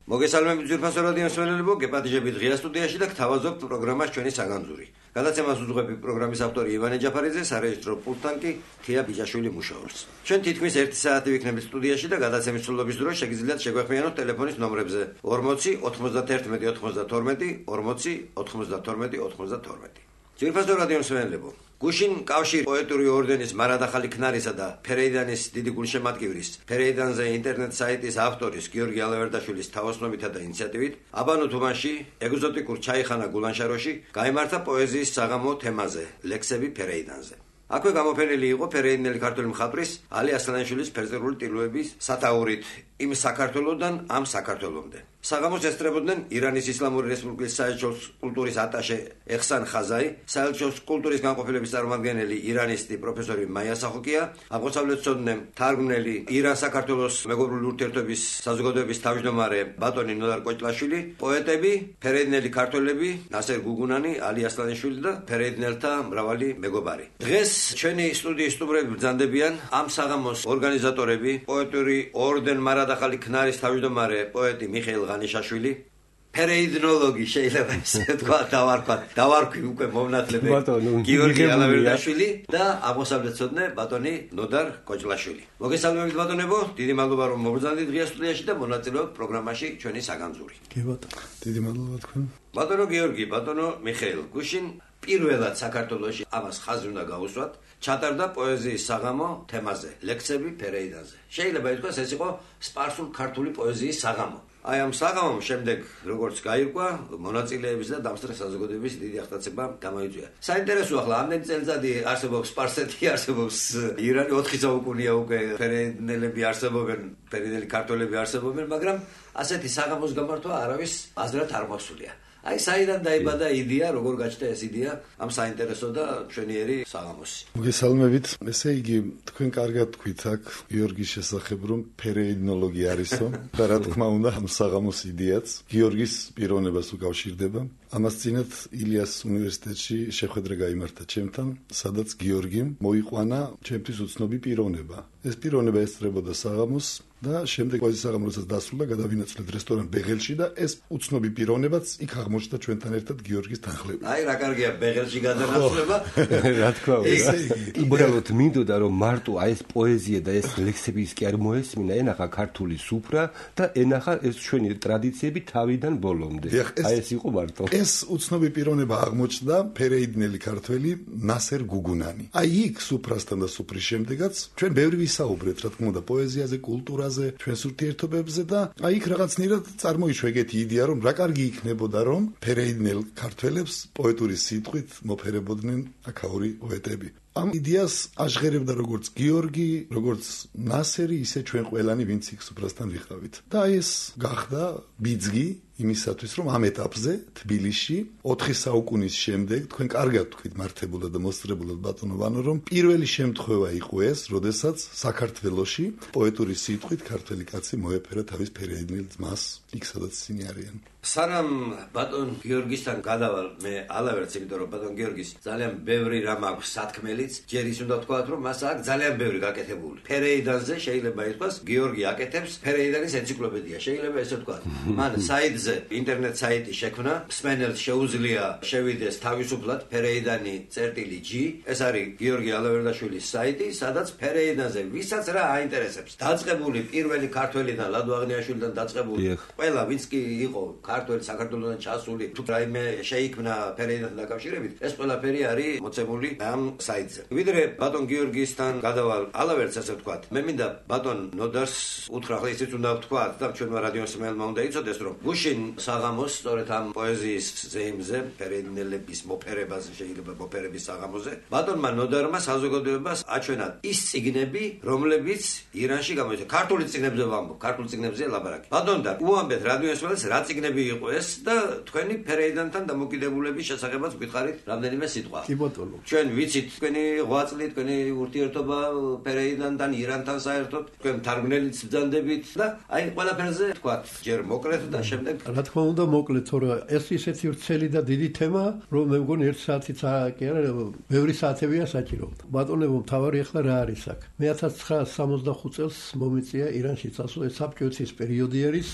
მოგესალმებით ძვირფასო რადიო მსმენელებო, გეპატიჟებით ღია სტუდიაში და გთავაზობთ პროგრამას ჩვენი საგანძური. გადაცემას უძღვები პროგრამის ავტორი ივანე ჯაფარიძე, სარეჟისტრო პულტთან კი თია ბიჯაშვილი მუშაობს. ჩვენ თითქმის 1 საათი ვიქნებით სტუდიაში და გადაცემის სრულობის დროს შეგიძლიათ შეგვეხმიანოთ ტელეფონის ნომრებზე 40 91 92 40 92 92. ძვირფასო რადიო მსმენელებო, გუშინ კავშირ პოეტური ორდენის მარადახალი ქნარისა და ფერეიდანის დიდი გულშემატკივრის ფერეიდანზე ინტერნეტ საიტის ავტორის გიორგი ალავერდაშვილის თაოსნობითა და ინიციატივით აბანო თუმანში ეგზოტიკურ ჩაიხანა გულანშაროში გაიმართა პოეზიის საღამო თემაზე ლექსები ფერეიდანზე. აქვე გამოფენილი იყო ფერეიდნელი ქართველი მხატვრის ალი ასლანიშვილის ფერწერული ტილოების სათაურით იმ საქართველოდან ამ საქართველომდე. საღამოს ესწრებოდნენ ირანის ისლამური რესპუბლიკის საელჩოს კულტურის ატაშე ეხსან ხაზაი, საელჩოს კულტურის განყოფილების წარმომადგენელი ირანისტი პროფესორი მაია სახოკია, აღმოსავლეთმცოდნე თარგმნელი ირან-საქართველოს მეგობრული ურთიერთობის საზოგადოების თავმჯდომარე ბატონი ნოდარ კოჭლაშვილი, პოეტები, ფერეიდნელი ქართველები, ნასერ გუგუნანი, ალი ასლანიშვილი და ფერეიდნელთა მრავალი მეგობარი. დღეს ჩვენი სტუდიის სტუმრები ბრძანდებიან ამ საღამოს ორგანიზატორები, პოეტური ორდენ მარადახალი ქნარის თავმჯდომარე პოეტი მიხეილ ღანიშაშვილი, ფერეიდნოლოგი შეიძლება ესე თქვა დავარქვი უკვე მომნათლებელი გიორგი ალავერდაშვილი და აღმოსავლეთმცოდნე ბატონი ნოდარ კოჭლაშვილი. მოგესალმებით ბატონებო, დიდი მადლობა რომ მობრძანდით ღია სტუდიაში და მონაწილეობთ პროგრამაში ჩვენი საგანძური. კი ბატონო, დიდი მადლობა თქვენ. ბატონო გიორგი, ბატონო მიხეილ, გუშინ პირველად საქართველოში ამას ხაზი უნდა გაუსვათ, ჩატარდა პოეზიის საღამო თემაზე, ლექსები ფერეიდანზე. შეიძლება ითქვას ეს იყო სპარსულ ქართული პოეზიის საღამო. აი ამ საღამომ შემდეგ როგორც გაირკვა, მონაწილეების და დამსწრე საზოგადოების დიდი აღტაცება გამოიწვია. საინტერესოა, ახლა ამდენი წელიწადი არსებობს სპარსეთი, არსებობს ირანი, 4 საუკუნეა უკვე ფერეიდნელები არსებობენ, ფერეიდნელი ქართველები არსებობენ, მაგრამ ასეთი საღამოს გამართვა არავის აზრად არ მოსულია. აი საიდან დაიბადა იდეა, როგორ გაჩნდა ეს იდეა ამ საინტერესო და მშვენიერი საღამოსი. მოგესალმებით. ესე იგი, თქვენ კარგად თქვით აქ გიორგის შესახებ, რომ ფერეიდნოლოგი არისო და რა თქმა უნდა ამ საღამოს იდეაც გიორგის პიროვნებას უკავშირდება. ამას წინათ ილიას უნივერსიტეტში შეხვედრა გაიმართა ჩემთან, სადაც გიორგიმ მოიყვანა ჩემთვის უცნობი პიროვნება. ეს პიროვნება ესწრებოდა საღამოს და შემდეგ პოეზიის საღამო როდესაც დასრულდა, გადავინაცვლეთ რესტორან ბეღელში და ეს უცნობი პიროვნებაც იქ აღმოჩნდა ჩვენთან ერთად გიორგის თანხლებით. აი რა კარგია ბეღელში გადანაცვლება. რა თქმა უნდა. უბრალოდ მინდოდა რომ მარტო აი ეს პოეზია და ეს ლექსები ის კი არ მოესმინა, ენახა ქართული სუფრა და ენახა ეს ჩვენი ტრადიციები თავიდან ბოლომდე. აი ეს იყო მარტო. ეს უცნობი პიროვნება აღმოჩნდა ფერეიდნელი ქართველი ნასერ გუგუნანი. აი იქ სუფრასთან და სუფრის შემდეგაც ჩვენ ბევრი ვისაუბრეთ, რა თქმა უნდა, პოეზიაზე, კულტურაზე, ჩვენს ურთიერთობებზე და აი იქ რაღაცნაირად წარმოიშვა ეგეთი იდეა, რომ რა კარგი იქნებოდა, რომ ფერეიდნელ ქართველებს პოეტური სიტყვით მოფერებოდნენ აქაური პოეტები. ამ იდეას აჟღერებდა როგორც გიორგი, როგორც ნასერი, ისე ჩვენ ყველანი, ვინც იქ სუფრასთან ვიყავით. და ეს გახდა ბიძგი იმისათვის, რომ ამ ეტაპზე თბილისში 4 საუკუნის შემდეგ თქვენ კარგად თქვით მართებულად და მოსწრებულად ბატონო ვანო, რომ პირველი შემთხვევა იყო ეს, როდესაც საქართველოში პოეტური სიტყვით ქართველი კაცი მოეფერა თავის ფერეიდნელ ძმას, იქ სადაც ისინი არიან. სანამ ბატონ გიორგისთან გადავალ მე ალავერდს, იმიტომ რომ ბატონ გიორგის ძალიან ბევრი რამ აქვს სათქმელიც, ჯერ ის უნდა ვთქვათ, რომ მას აქვს ძალიან ბევრი გაკეთებული. ფერეიდანზე შეიძლება ითქვას, გიორგი აკეთებს ფერეიდანის ენციკლოპედია, შეიძლება ესე ვთქვათ. მან საიტზე ინტერნეტ საიტი შექმნა, მსმენელს შეუძლია შევიდეს თავისუფლად ფერეიდანი.g. ეს არის გიორგი ალავერდაშვილის საიტი, სადაც ფერეიდანზე ვისაც რა აინტერესებს. დაწყებული პირველი ქართველიდან ლადო აღნიაშვილიდან დაწყებული ყველა ვინც კი იყო ქართველი საქართველოსთან ჩასული, თუ რაიმე შეიქმნა ფერეიდანთან დაკავშირებით, ეს ყველაფერი არის მოცემული ამ საიტზე. ვიდრე ბატონ გიორგისთან გადავალ ალავერდს, ასე ვთქვათ, მე მინდა ბატონ ნოდარს უთხრა, ახლა ისიც უნდა ვთქვათ და ჩვენმა რადიო მსმენელმა უნდა იცოდეს, რომ გუშინ საღამოს სწორედ ამ პოეზიის ზეიმზე, ფერეიდნელების მოფერებაზე, შეიძლება მოფერების საღამოზე, ბატონმა ნოდარმა საზოგადოებას აჩვენა ის წიგნები, რომლებიც ირანში გამოიცა. ქართული წიგნებზე ვამბობ, ქართული წიგნებზე ლაბარაკი. ბატონ და უამბეთ რადიო მსმენელს რა წიგნები იყო ეს და თქვენი ფერეიდანთან დამოკიდებულების შესახებაც გითხარით რამდენიმე სიტყვა. კი ბატონო. ჩვენ ვიცით თქვენი ღვაწლი, თქვენი ურთიერთობა ფერეიდანთან, ირანთან საერთოდ, თქვენ თარგმნელიც ბრძანდებით და აი ყველაფერზე თქვათ, ჯერ მოკლედ და შემდეგ რა თქმა უნდა მოკლედ, თორე ეს ისეთი ვრცელი და დიდი თემაა, რომ მე მგონი 1 საათიც კი არა, ბევრი საათებია საჭირო. ბატონებო, მთავარი ახლა რა არის აქ? მე 1965 წელს მომიწია ირანში წასვლა, საბჭოეთის პერიოდი არის.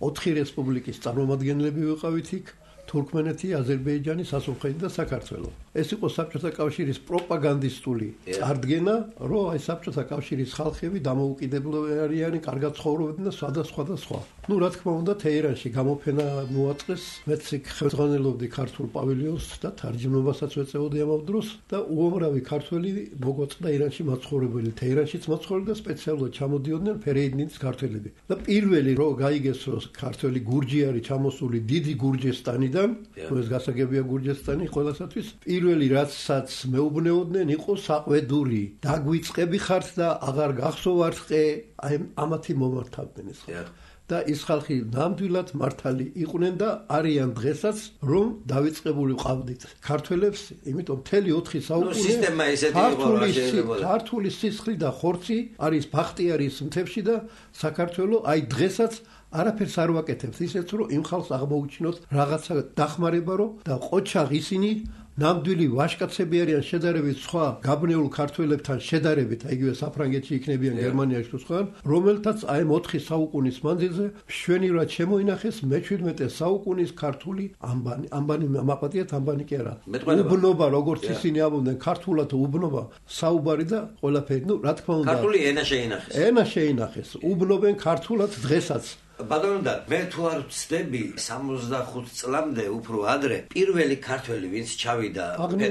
4 რესპუბლიკის წარმომადგენლები ვიყავით იქ. თურქმენეთი, აზერბაიჯანი, სასულხეთი და საქართველო. ეს იყო საბჭოთა კავშირის პროპაგანდისტული წარდგენა, რომ აი საბჭოთა კავშირის ხალხები დამოუკიდებლები არიან, კარგად ცხოვრობენ და სხვა. ნუ რა თქმა უნდა, თეირანში გამოფენა მოაწყეს, მეც იქ ხელმძღვანელობდი ქართულ პავილიონს და თარჯიმნობასაც ვეწეოდი ამ დროს და უამრავი ქართველი მოგვაწყდა ირანში მაცხოვრებელი, თეირანშიც მაცხოვრები და სპეციალურად ჩამოდიოდნენ ფერეიდნინის ქართველები. და პირველი რო გაიგეს, რომ ქართველი გურჯი არის ჩამოსული დიდი გურჯესტანიდან, ეს გასაგებია გურჯესტანი ყველასათვის. პირველი რაცაც მეუბნეოდნენ იყო საყვედური. დაგვიწყები ხართ და აღარ გახსოვართ ყე, აი ამათი მომართავდნენ ეს ხალხი. და ის ხალხი ნამდვილად მართალი იყვნენ და არიან დღესაც რომ დავიწყებული ვყავდით ქართველებს, იმიტომ მთელი 4 საუკუნე სისტემა ისეთი იყო რა შეიძლება. ქართული სისხლი და ხორცი არის ბახტიარის მთებში და საქართველო აი დღესაც არაფერს არ ვაკეთებს ისეთ რომ იმ ხალხს აღმოუჩინოთ რაღაცა დახმარება რომ და ყოჩაღ ისინი ნამდვილი ვაჟკაცები არიან შედარებით სხვა გაბნეულ ქართველებთან შედარებით, იგივე საფრანგეთში იქნებიან გერმანიაში თუ სხვა, რომელთაც აი 4 საუკუნის მანძილზე მშვენივრად შემოინახეს მე-17 საუკუნის ქართული ამბანი მაპატიეთ ამბანი კი არა. უბნობა როგორც ისინი ამბობდნენ ქართულად უბნობა, საუბარი და ყველაფერი, ნუ რა თქმა უნდა ქართული ენა შეინახეს. ენა შეინახეს. უბნობენ ქართულად დღესაც. ბატონო, მე თუ არ ვცდები 65 წლამდე უფრო ადრე პირველი ქართველი ვინც ჩავიდა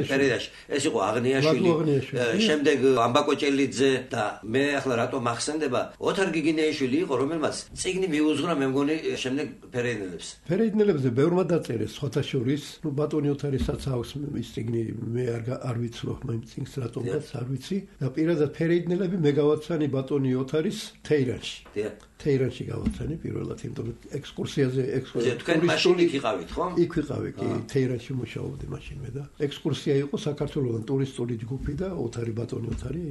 პერიოდში ეს იყო აღნიაშვილი, შემდეგ ამბაკოჭელიძე და მე ახლა რატომ ახსენდება ოთარ გიგინეიშვილი იყო, რომელმაც წიგნი მიუძღვნა მე მგონი შემდეგ ფერეიდნელებს. ფერეიდნელებზე ბევრმა დაწერეს სხვათა შორის, ნუ ბატონი ოთარისაც აქვს ის წიგნი, მე არ ვიცნობ მე წიგნს რატომაც არ ვიცი და პირადად ფერეიდნელები მე გავაცანი ბატონი ოთარის თეირანში. თეირანში გავაცანი პირველად, იმიტომ რომ ექსკურსიაზე თქვენ მაშინ იქ იყავით, ხო? იქ ვიყავი, კი, თეირანში მუშაობდი მაშინვე და ექსკურსია იყო საქართველოსთან ტურისტული ჯგუფი და ოთარი ბატონი ოთარი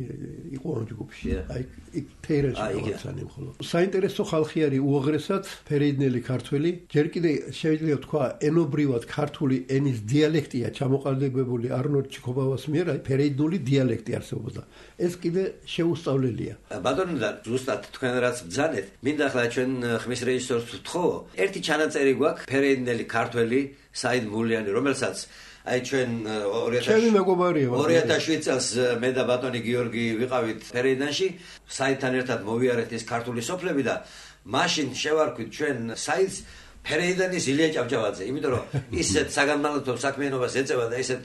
იყო ამ ჯგუფში. აი იქ თეირანში გავაცანი მხოლოდ. საინტერესო ხალხი არის უაღრესად ფერეიდნელი ქართველი. ჯერ კიდე შეიძლება თქვა ენობრივად ქართული ენის დიალექტია ჩამოყალიბებული არნოლდ ჩიქობავას მიერ, აი ფერეიდნული დიალექტი არსებობდა. ეს კიდე შეუსწავლელია. ბატონო და ზუსტად თქვენ რაც ბრძანეთ, მინდა ახლა ჩვენ ხმის რეჟისორს ვთხოვ, ერთი ჩანაწერი გვაქვს ფერეიდნელი ქართველი საიდ მულიანი, რომელსაც აი ჩვენ 2007 წელს მე და ბატონი გიორგი ვიყავით ფერეიდნაში, საიდთან ერთად მოვიარეთ ეს ქართული სოფლები და მაშინ შევარქვით ჩვენ საიდს ფერეიდნის ილია ჭავჭავაძე, იმიტომ რომ ისეთ საგანმანათლებლო საქმიანობას ეწევა და ისეთ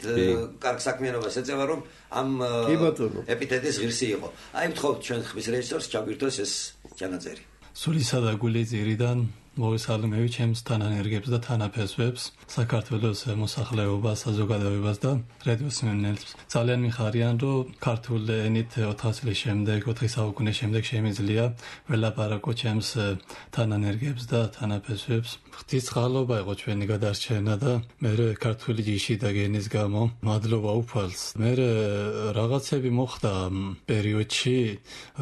კარგ საქმიანობას ეწევა, რომ ამ ეპითეტის ღირსი იყო. აი ვთხოვთ ჩვენ ხმის რეჟისორს ჩაგვირთოს ეს ჩანაწერი. სულისა და გულის ძირიდან მოვესალმები ჩემს თანანერგებს და თანაფესვებს, საქართველოს მოსახლეობას, საზოგადოებას და რადიოს მსმენელს. ძალიან მიხარიან, რომ ქართულ ენით 4 წლის შემდეგ, 4 საუკუნის შემდეგ შემიძლია ველაპარაკო ჩემს თანანერგებს და თანაფესვებს. ღვთისმშობლობა იყო ჩვენი გადარჩენა და მე ქართული ჯიში და გენის გამო მადლობა უფალს. მე რაღაცები მოხდა პერიოდში,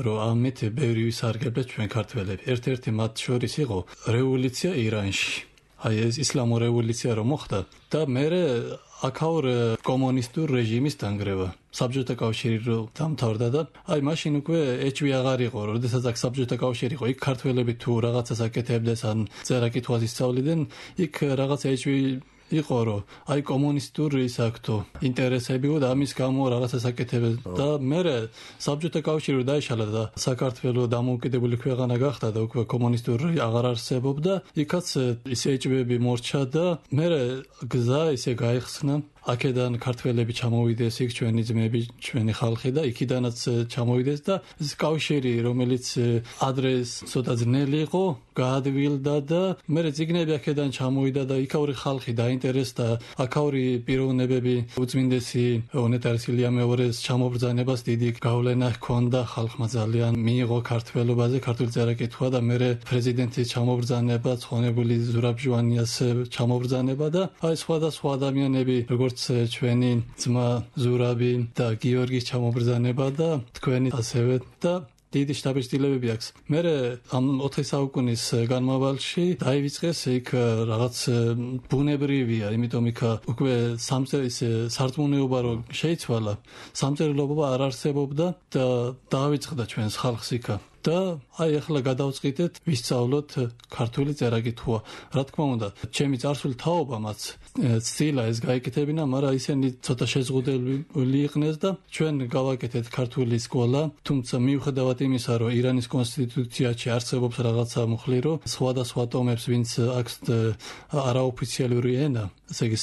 რომ ამით ბევრი ვისარგებლე ჩვენ ქართველები. ერთ-ერთი მათ შორის იყო რევოლუცია ირანში. აი ეს ისლამური რევოლუცია რომ მოხდა და მე აქაურ კომუნისტურ რეჟიმის დანგრევა. საბჭოთა კავშირი რო დამთავრდა და აი მაშინ უკვე ეჭვი აღარ იყო, როდესაც აქ საბჭოთა კავშირი იყო, იქ ქართველები თუ რაღაცას აკეთებდნენ, ან წერა-კითხვას ისწავლიდნენ, იქ რაღაცა ეჭვი იყო, რომ აი კომუნისტური ისაქტო ინტერესები და ამის გამო რაღაცას აკეთებდნენ და მე საბჭოთა კავშირი დაიშალა და საქართველოს დამოუკიდებელი ქვეყანა გახდა და უკვე კომუნისტური აღარ არსებობდა, იქაც ისე ეჭვები მორჩა და მე გზა ისე გაიხსნა. აქედან ქართველები ჩამოვიდეს იქ ჩვენი ძმები, ჩვენი ხალხი და იქიდანაც ჩამოვიდეს და ეს კავშირი, რომელიც ადრე ცოტა ძნელი იყო, გაადვილდა და მე წიგნები აქედან ჩამოვიდა და იქაური ხალხი დაინტერესდა, აქაური პიროვნებები უწმინდესი უნეტარეს ილია მეორეს ჩამობრძანებას დიდი გავლენა ჰქონდა ხალხმა ძალიან მიიღო ქართველობაზე, ქართული წერა-კითხვა და მე პრეზიდენტის ჩამობრძანება, ცხონებული ზურაბ ჟვანიას ჩამობრძანება და აი სხვადასხვა ადამიანები როგორც ჩვენი ძმა ზურაბი და გიორგის ჩამობრძანება და თქვენი ასევე და დიდი შთაბეჭდილებები აქვს. მე ამ 4 საუკუნის განმავლობაში დაივიწყეს იქ რაღაც ბუნებრივია, იმიტომ იქ უკვე სარწმუნოება რო შეიცვალა, სამწერლობა არ არსებობდა და დაავიწყდა ჩვენს ხალხს იქ. და აი ახლა გადავწყვიტეთ ვისწავლოთ ქართული წერა-კითხვა. რა თქმა უნდა, ჩემი წარსული თაობამაც სცილა ეს გაიკეთებინა, მაგრამ ისინი ცოტა შეზღუდული იყვნენ და ჩვენ გავაკეთეთ ქართული სკოლა, თუმცა მიუხედავად იმისა, რომ ირანის კონსტიტუციაში არსებობს რაღაცა მუხლი, რომ სხვადასხვა ტომებს, ვინც აქვს არაოფიციალური ენა, ესე იგი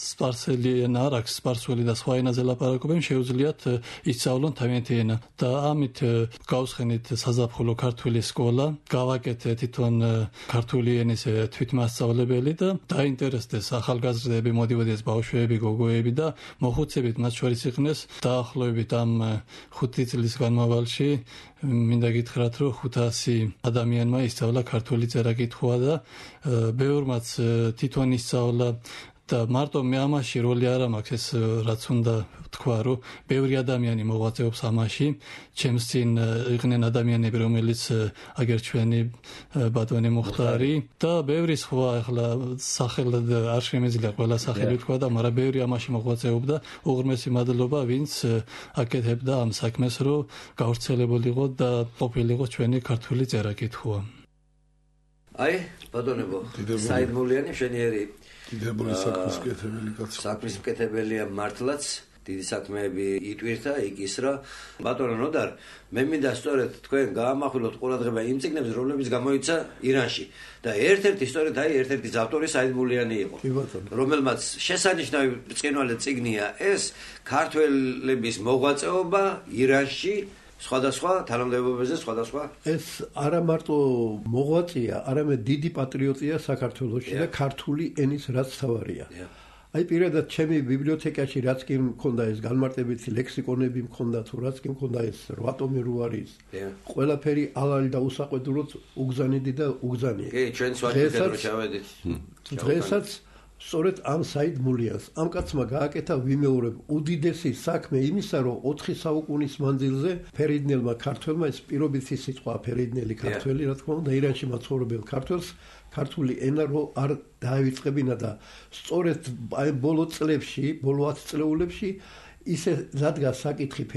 სპარსელი ენა არ აქვს, სპარსული და სხვა ენაზე ლაპარაკობენ, შეუძლიათ ისწავლონ თავიანთი ენა და ამით გავსხენით საზაფხულო ქართული სკოლა, გავაკეთე თვითონ ქართული ენის თვითმასწავლებელი და დაინტერესდეს ახალგაზრდები, მოდიოდეს ბავშვები, გოგოები და მოხუცებით მათ შორის იყვნენ დაახლოებით ამ 5 წლის განმავლობაში მინდა გითხრათ, რომ 500 ადამიანმა ისწავლა ქართული წერა-კითხვა და ბევრმაც თვითონ ისწავლა და მარტო მე ამაში როლი არ მაქვს, ეს რაც უნდა თქვა, რომ ბევრი ადამიანი მოღვაწეობს ამაში. ჩემს წინ იყვნენ ადამიანები, რომელიც აგერ ჩვენი ბატონი მუხტარი და ბევრი სხვა, ახლა სახელად არ შემეძლია ყველა სახელი თქვა და მაგრამ ბევრი ამაში მოღვაწეობდა. უღრმესი მადლობა, ვინც აკეთებდა ამ საქმეს, რომ გავრცელებულიყო და ყოფილიყო ჩვენი ქართული წერა-კითხვა. აი, ბატონებო, საიდმულიანი შენიერი დიდებული საქმის მკეთებელი კაცი. საქმის მკეთებელია მართლაც, დიდი საქმეები იტვირთა, იკისრა. ბატონო ნოდარ, მე მინდა სწორედ თქვენ გაამახვილოთ ყურადღება იმ წიგნებზე, რომლებიც გამოიცა ირანში. და ერთ-ერთი სწორედ ერთ-ერთი ავტორი საიდმულიანი იყო, რომელმაც შესანიშნავი ბრწყინვალე წიგნია ეს ქართველების მოღვაწეობა ირანში. სხვადასხვა თანამდებობებზე, სხვადასხვა ეს არა მარტო მოღვაწეა, არამედ დიდი პატრიოტია საქართველოში და ქართული ენის რაც თავარია. აი პირადად ჩემი ბიბლიოთეკაში რაც კი მქონდა ეს განმარტებითი ლექსიკონები მქონდა თუ რაც კი მქონდა ეს 8 ტომი რო არის. ყველაფერი ალალი და უსაყვედუროდ უგზანიდი და უგზანია. კი, ჩვენ სვაჭრეთ რო ჩავედით. დღესაც სწორედ ამ საიდმულიანს ამ კაცმა გააკეთა ვიმეორებ უდიდესი საქმე იმისა, რომ 4 საუკუნის მანძილზე ფერიდნელმა ქართველმა ეს პირობითი სიტყვა ფერიდნელი ქართველი, რა თქმა უნდა, ირანში მაცხოვრებელ ქართველს ქართული ენა რო არ დაივიწყებინა და სწორედ აი ბოლო წლებში, ბოლო 10 წლეულებში ისე დადგა საკითხი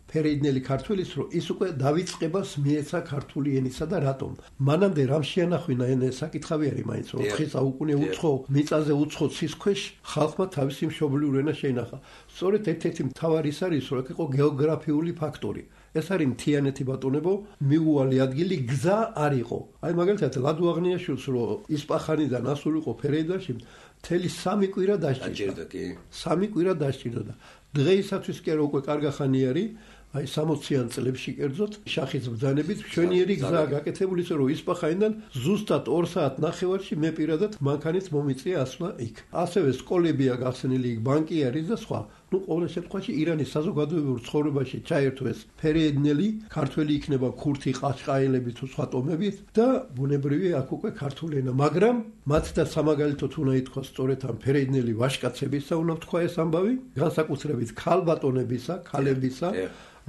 ფერიდნელი ქართველის, რომ ის უკვე დავიწყებას მიეცა ქართული ენისა და რატომ. მანამდე რამ შეანახვინა ენა საკითხავი არის მაინც, რომ 4 საუკუნე უცხო მიწაზე უცხო ცის ქვეშ ხალხმა თავისი მშობლიური ენა შეინახა. სწორედ ერთ-ერთი მთავარი ის არის, რომ იყო გეოგრაფიული ფაქტორი. ეს არის მთიანეთი ბატონებო, მიუვალი ადგილი გზა არ იყო. აი მაგალითად ლადო აღნიაშვილს რომ ისპახანიდან ასულიყო ფერეიდაში, მთელი 3 კვირა დასჭირდა. 3 კვირა დასჭირდა. დღეისათვის კი არა უკვე კარგა ხანი არის. აი 60-იან წლებში კერძოდ შახის ბრძანებით ჩვენიერი გზაა გაკეთებული, ისე რომ ისპახანიდან ზუსტად 2 საათ ნახევარში მე პირადად მანქანით მომიწია ასვლა იქ. ასევე სკოლებია გახსნილი იქ, ბანკი არის და სხვა. ნუ ყოველ შემთხვევაში ირანის საზოგადოებრივ ცხოვრებაში ჩაერთვეს ფერეიდნელი, ქართველი იქნება ქურთი, ყაჩყაილები თუ სხვა ტომებით და ბუნებრივია აქ უკვე ქართული ენა, მაგრამ მათ და სამაგალითოდ უნდა ითქვას სწორედ ამ ფერეიდნელი ვაჟკაცებისა უნდა თქვა ეს ამბავი, განსაკუთრებით ქალბატონებისა, ქალებისა,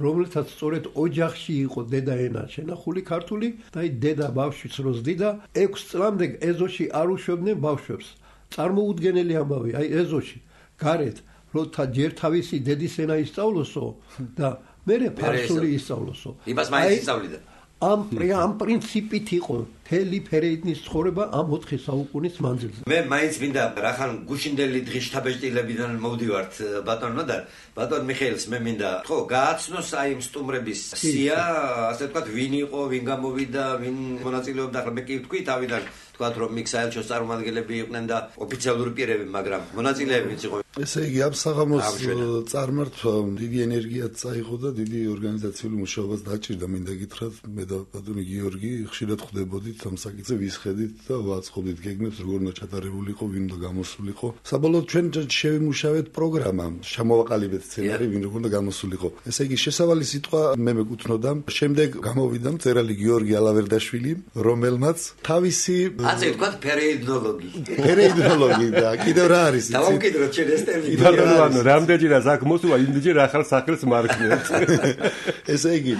რომელთაც სწორედ ოჯახში იყო დედა ენა შენახული ქართული და აი დედა ბავშვიც რო ზდიდა 6 წლამდე ეზოში არ უშვებდნენ ბავშვებს. წარმოუდგენელი ამბავი, აი ეზოში გარეთ რომ ჯერ თავისი დედის ენა ისწავლოსო და მერე ფარსული ისწავლოსო. იმას მაინც ისწავლიდა. ამ პრინციპით იყო მთელი ფერეიდნის ცხოვრება ამ 4 საუკუნის მანძილზე. მე მაინც მინდა რახან გუშინდელი დღის შთაბეჭდილებიდან მოვდივართ ბატონო და ბატონ მიხეილს მე მინდა ხო გააცნოს აი იმ სტუმრების სია, ასე ვთქვათ, ვინ იყო, ვინ გამოვიდა, ვინ მონაწილეობდა, ახლა მე კი ვთქვი თავიდან ვთქვათ რომ იქ საელჩოს წარმომადგენლები იყვნენ და ოფიციალური პირები, მაგრამ მონაწილეებიც იყო. ესე იგი ამ საღამოს წარმართვამ დიდი ენერგიაც წაიღო და დიდი ორგანიზაციული მუშაობაც დაჭირდა. მინდა გითხრათ, მე და ბატონი გიორგი ხშირად ხვდებოდით ამ საკითხზე, ვისხედით და ვაწყობდით გეგმებს, როგორ უნდა ჩატარებულიყო, ვინ უნდა გამოსულიყო. საბოლოოდ ჩვენ შევიმუშავეთ პროგრამა, შემოვაყალიბეთ სცენარი, ვინ როგორ უნდა გამოსულიყო. ესე იგი შესავალი სიტყვა მე მეკუთვნოდა. შემდეგ გამოვიდა მწერალი გიორგი ალავერდაშვილი, რომელმაც თავისი ასე ვთქვათ ფერეიდნოლოგი და კიდევ რა არის იცით? დავამკვიდროთ ჩვენ ეს სისტემით. ბატონო, რამდენჯერაც აქ მოსულა, იმდენჯერ ახალ სახელს მარკნევთ. ესე იგი,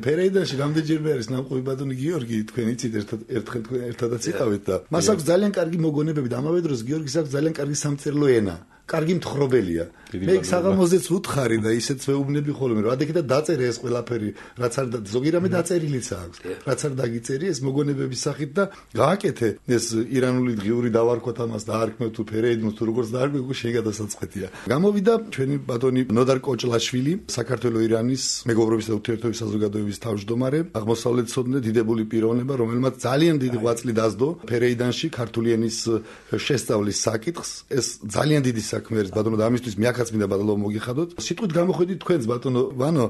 ფერეიდანში რამდენჯერმე არის ნამყოფი ბატონი გიორგი, თქვენ იცით ერთხელ თქვენ ერთადაც იყავით და მას აქვს ძალიან კარგი მოგონებები და ამავე დროს გიორგის აქვს ძალიან კარგი სამწერლო ენა. კარგი მთხრობელია. მე საღამოზეც ვუთხარი და ისეც ვეუბნები ხოლმე, რომ ადექი და დაწერე ეს ყველაფერი, რაც არ ზოგი რამე დაწერილიც აქვს. რაც არ დაგიწერი ეს მოგონებების სახით და გააკეთე ეს ირანული დღიური დავარქვათ ამას და არქმევ თუ ფერეიდნოს თუ როგორც დაარქვე, შენ გადასაწყეთია. გამოვიდა ჩვენი ბატონი ნოდარ კოჭლაშვილი, საქართველოს-ირანის მეგობრობის და ურთიერთობების საზოგადოების თავმჯდომარე, აღმოსავლეთცოდნე დიდებული პიროვნება, რომელმაც ძალიან დიდი ღვაწლი დასდო ფერეიდანში ქართული ენის შესწავლის საკითხს. ეს ძალიან დიდი საქმე არის ბატონო და ამისთვის მიაქაც მინდა ბატონო მოგიხადოთ. სიტყვით გამოხედით თქვენს ბატონო ვანო,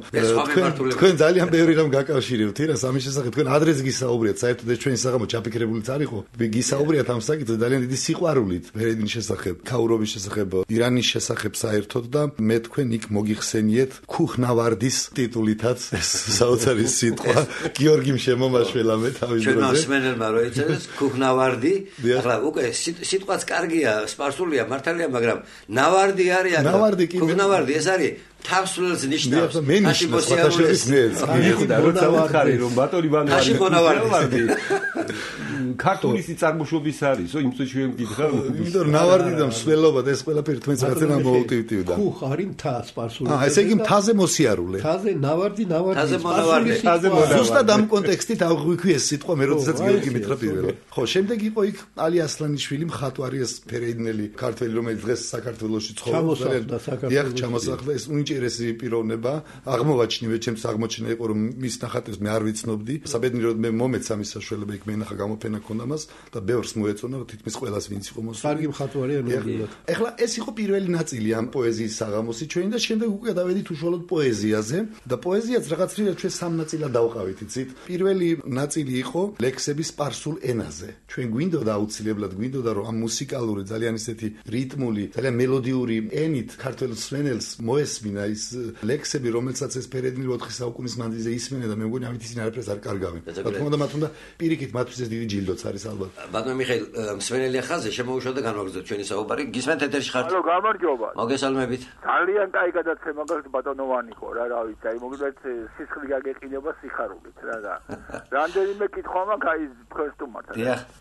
თქვენ ძალიან ბევრი რამ გაკავშირებთ ირანს ამის შესახებ, თქვენ ადრეს გისაუბრეთ, საერთოდ ეს ჩვენი საღამო ჩაფიქრებულიც არ იყო. გისაუბრეთ ამ საკითხზე ძალიან დიდი სიყვარულით ფერეიდის შესახებ, ქაურობის შესახებ, ირანის შესახებ საერთოდ და მე თქვენ იქ მოგიხსენიეთ ქუხნავარდის ტიტულითაც ეს საოცარი სიტყვა გიორგიმ შემომაშველა მე თავის დროზე. ჩვენ მსმენელმა რო ეცეს ქუხნავარდი, ახლა უკვე სიტყვაც კარგია, სპარსულია მართალია, მაგრამ ნავარდი არის აქ. ქუხნავარდი ეს არის თავს ნიშნავს. როცა ვახარი რომ ბატონი ვანოვარდი ქართული წარმოშობის არისო, იმ წუთში ვემკითხა. იმიტომ რომ ნავარდი და მსვლელობა და ეს ყველაფერი თქვენს რაღაცა მოუტივტივდა. ქუხ არის მთა სპარსული. ესე იგი მთაზე მოსიარულე. მთაზე ნავარდი სპარსული. ზუსტად ამ კონტექსტით აღვიქვი ეს სიტყვა მე როდესაც გიორგი მითხრა პირველად. ხო, შემდეგ იყო იქ ალი ასლანიშვილი, მხატვარი ეს ფერეიდნელი ქართველი, რომელიც დღეს საქართველოში ცხოვრობს. დიახ, ჩამოსახლდა ეს უინტერესი პიროვნება. აღმოვაჩინე ჩემს აღმოჩენა იყო რომ მის ნახატებს მე არ ვიცნობდი. საბედნიეროდ მე მომეცა მის საშუალება იქ მენახა გამოფენა ქონდა მას და ბევრს მოეწონა რომ თითქმის ყველას ვინც იყო მოსული. კარგი მხატვარია ნამდვილად. ეხლა ეს იყო პირველი ნაწილი ამ პოეზიის საღამოსი ჩვენი და შემდეგ უკვე დავედით უშუალოდ პოეზიაზე და პოეზიაც რაღაც რიად ჩვენ სამ ნაწილად დავყავით, იცით? პირველი ნაწილი იყო ლექსები სპარსულ ენაზე. ჩვენ გვინდოდა აუცილებლად გვინდოდა რომ ამ მუსიკალური ძალიან ისეთი რიტმული, ძალიან მელოდიური ენით ქართველ მსმენელს მოესმინა ის ლექსები, რომელსაც ეს ფერეიდნი 4 საუკუნის მანძილზე ისმენა და მე მგონი ამით ისინი არაფერს არ კარგავენ. რა თქმა უნდა, მათ უნდა პირიქით მათთვის ეს დიდი ჯილდოც არის ალბათ. ბატონო მიხეილ, მსმენელი ხაზზე შემოუშვა და განვაგრძოთ ჩვენი საუბარი. გისმენთ ეთერში ხართ? ალო, გამარჯობა. მოგესალმებით. ძალიან კაი გადაცემა გაქვს ბატონოვანიკო, რა ვიცი, აი მოგდეთ სისხლი გაგეყინება სიხარულით, რა. რამდენიმე კითხვა მაქვს აი თქვენ სტუმართან.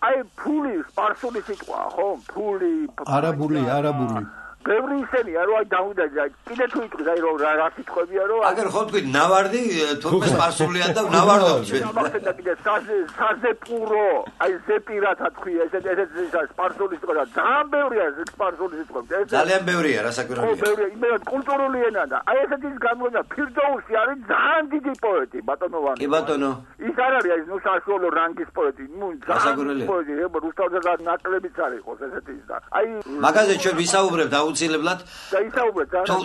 აი ფული სპარსული სიტყვა, ხო? ფული. არაბული. ბევრი ისენია რომ აი დავიდა კიდე თუ იტყვი აი რომ რა სიტყვებია რომ აგერ ხო თქვი ნავარდი თურქეს სპარსულია და ნავარდობ ჩვენ და კიდე საზეპურო აი ზეპირათა თქვი ესეთ სპარსული სიტყვა ძალიან ბევრია სპარსული სიტყვა ძალიან ბევრია რასაკვირველია ხო ბევრია იმედად კულტურული ენა და აი ესეთი გამოგონა ფირდოუსი არის ძალიან დიდი პოეტი ბატონოვანი კი ბატონო ის არ არის ნუ საშუალო რანგის პოეტი ნუ ძალიან პოეტი რუსთავზე ნაკლებიც არის ხო ესეთი ის და აი მაგაზე ჩვენ ვისაუბრებთ აუცილებლად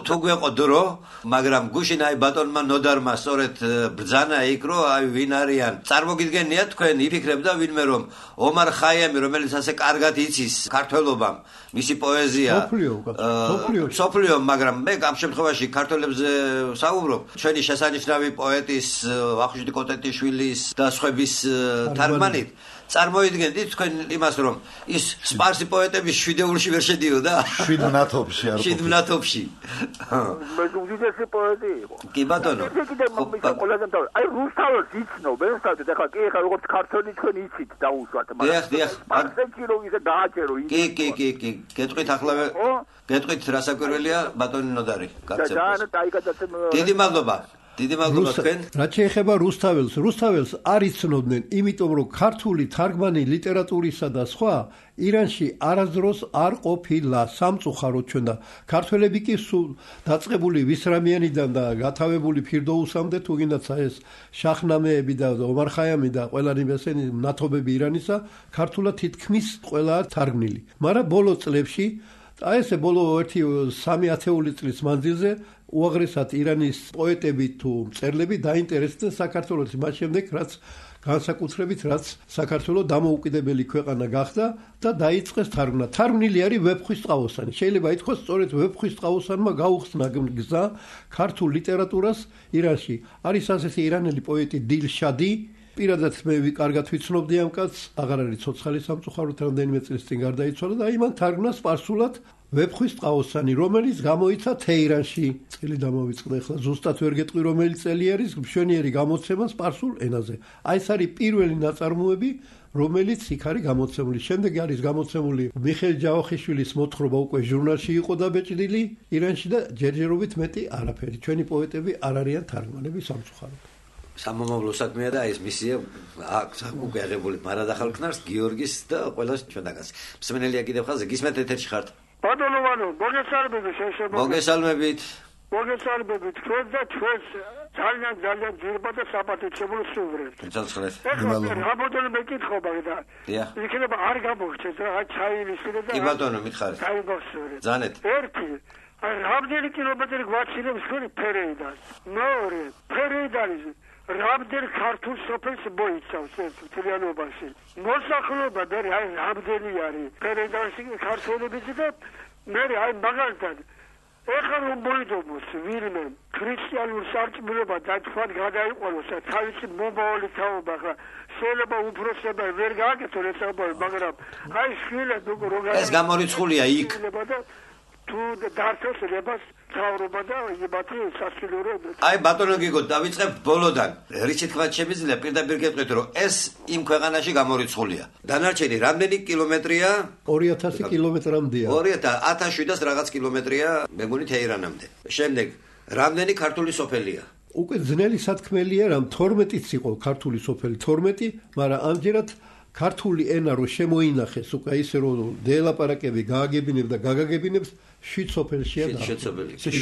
თუ გვეყო დრო, მაგრამ გუშინ აი ბატონმა ნოდარმა სწორედ ბრძანა იქ რომ აი ვინ არიან. წარმოგიდგენია თქვენ იფიქრებდა ვინმე რომ ომარ ხაიამი რომელიც ასე კარგად იცის ქართველობამ, მისი პოეზია სოფლიო, მაგრამ მე ამ შემთხვევაში ქართველებზე საუბრობ. ჩვენი შესანიშნავი პოეტის ვახუშტი კოტეტიშვილის და სხვების თარგმანით წარმოიდგენთ თქვენ იმას რომ ის სპარსი პოეტები შვიდეულში ვერ შედიოდა? შვიდმნათობში არ ყოფილა. შვიდმნათობში. მე უძესი პოეტი იყო. კი ბატონო. აი რუსთავს იცნობენ, სადაც ახლა კი ახლა როგორც ქართველი თქვენ იცით დაუშვათ, მაგრამ სპარსეთში რომ ისე დააჭერო ის. კი. გეტყვით ახლა გეტყვით რასაკვირველია ბატონი ნოდარი. დიდი მადლობა. დიდი მადლობა თქვენ. რაც შეეხება რუსთაველს არ იცნობდნენ, იმიტომ რომ ქართული თარგმანი ლიტერატურისა და სხვა ირანში არასდროს არ ყოფილა სამწუხაროდ ჩვენ და ქართველები კი სულ დაწყებული ვისრამიანიდან და გათავებული ფირდოუსამდე თუ გინდაცა ეს შაჰნამეები და ომარ ხაიამი და ყველანი ესენი ნათობები ირანისა ქართულად თითქმის ყველაა თარგმნილი. მაგრამ ბოლო წლებში აი ესე ბოლო 1-3 ათეული წლის მანძილზე უაღრესად ირანის პოეტები თუ მწერლები დაინტერესდნენ საქართველოს მას შემდეგ რაც განსაკუთრებით რაც საქართველოს დამოუკიდებელი ქვეყანა გახდა და დაიწყეს თარგმნა. თარგმნილი არის ვეფხვისწყალოსანი. შეიძლება ითქვას სწორედ ვეფხვისწყალოსანმა გაუხსნა გზა ქართულ ლიტერატურას ირანში. არის ასეთი ირანელი პოეტი დილშადი პირადად მე კარგად ვიცნობდი ამ კაცს, აღარ არის ცოცხალი სამწუხაროდ, რამდენიმე წლის წინ გარდაიცვალა და იმან თარგმნა სპარსულად ვეფხვის ტყაოსანი, რომელიც გამოიცა თეირანში. წელი დამოვიწყდა, ახლა ზუსტად ვერ გეტყვი რომელი წელი არის, მშვენიერი გამოცემა სპარსულ ენაზე. აი ეს არის პირველი ნაწარმოები, რომელიც იქ არის გამოცემული. შემდეგ არის გამოცემული მიხეილ ჯავახიშვილის მოთხრობა, უკვე ჟურნალში იყო დაბეჭდილი ირანში და ჯერჯერობით მეტი არაფერი. ჩვენი პოეტები არ არიან თარგმანები სამწუხაროდ. სამომავლო საქმეა და ეს მისია აქვს უკვე აღებული მარადახალქნარს, გიორგის და ყველას ჩვენთანაც. მსმენელია კიდევ ხაზზე, გისმენთ ეთერში ხართ. ბატონო ვანო, მოგესალმებით შეშებო. მოგესალმებით. მოგესალმებით. ჩვენ და ჩვენს ძალიან ძირბად და საპატიჩებულო სუვრებს. ცოცხლეთ. ეხლა რამოდენიმე მეკითხობა და იქნება არ გამოგჩეთ რა ჩაივისილე და კი ბატონო, მითხარით. ჩაიბახსოვრე. ზანეთ. ერთი რამდენი კილომეტრი გვაჩინებს თქვენი ფერეიდან? მეორე, ფერეიდანის რამდენ ქართულ სოფელს მოიცავს ეს მთლიანობაში? მოსახლეობა მე რამდენი არის ფერეიდანში ქართველებიც და მე აი მაგალითად ეხლა რომ მოიდობოს ვინმე ქრისტიანულ სარწმუნოება დაჩვან გადაიყვანოს და თავისი მომავალი თაობა ხა შეიძლება უფროსება ვერ გააკეთონ ეს ამბავი, მაგრამ აი შვილად უკვე რო ეს გამორიცხულია იქ. თუ დართოს ლებას თავრობა და იმათი სასილურე. აი ბატონო გიგო, დავიწყებ ბოლოდან. რითი თქვა შემიძლია პირდაპირ გეტყვით, რომ ეს იმ ქვეყანაში გამორიცხულია. დანარჩენი რამდენი კილომეტრია? 2000 კილომეტრამდეა. 1700 რაღაც კილომეტრია მეგონი თეირანამდე. შემდეგ რამდენი ქართული სოფელია? უკვე ძნელი სათქმელია, რომ 12-იც იყო ქართული სოფელი 12, მაგრამ ამჯერად ქართული ენა რო შემოინახეს, უკვე ისე რომ დელაპარაკები გააგებინებს და გაგაგებინებს 7 სოფელშია და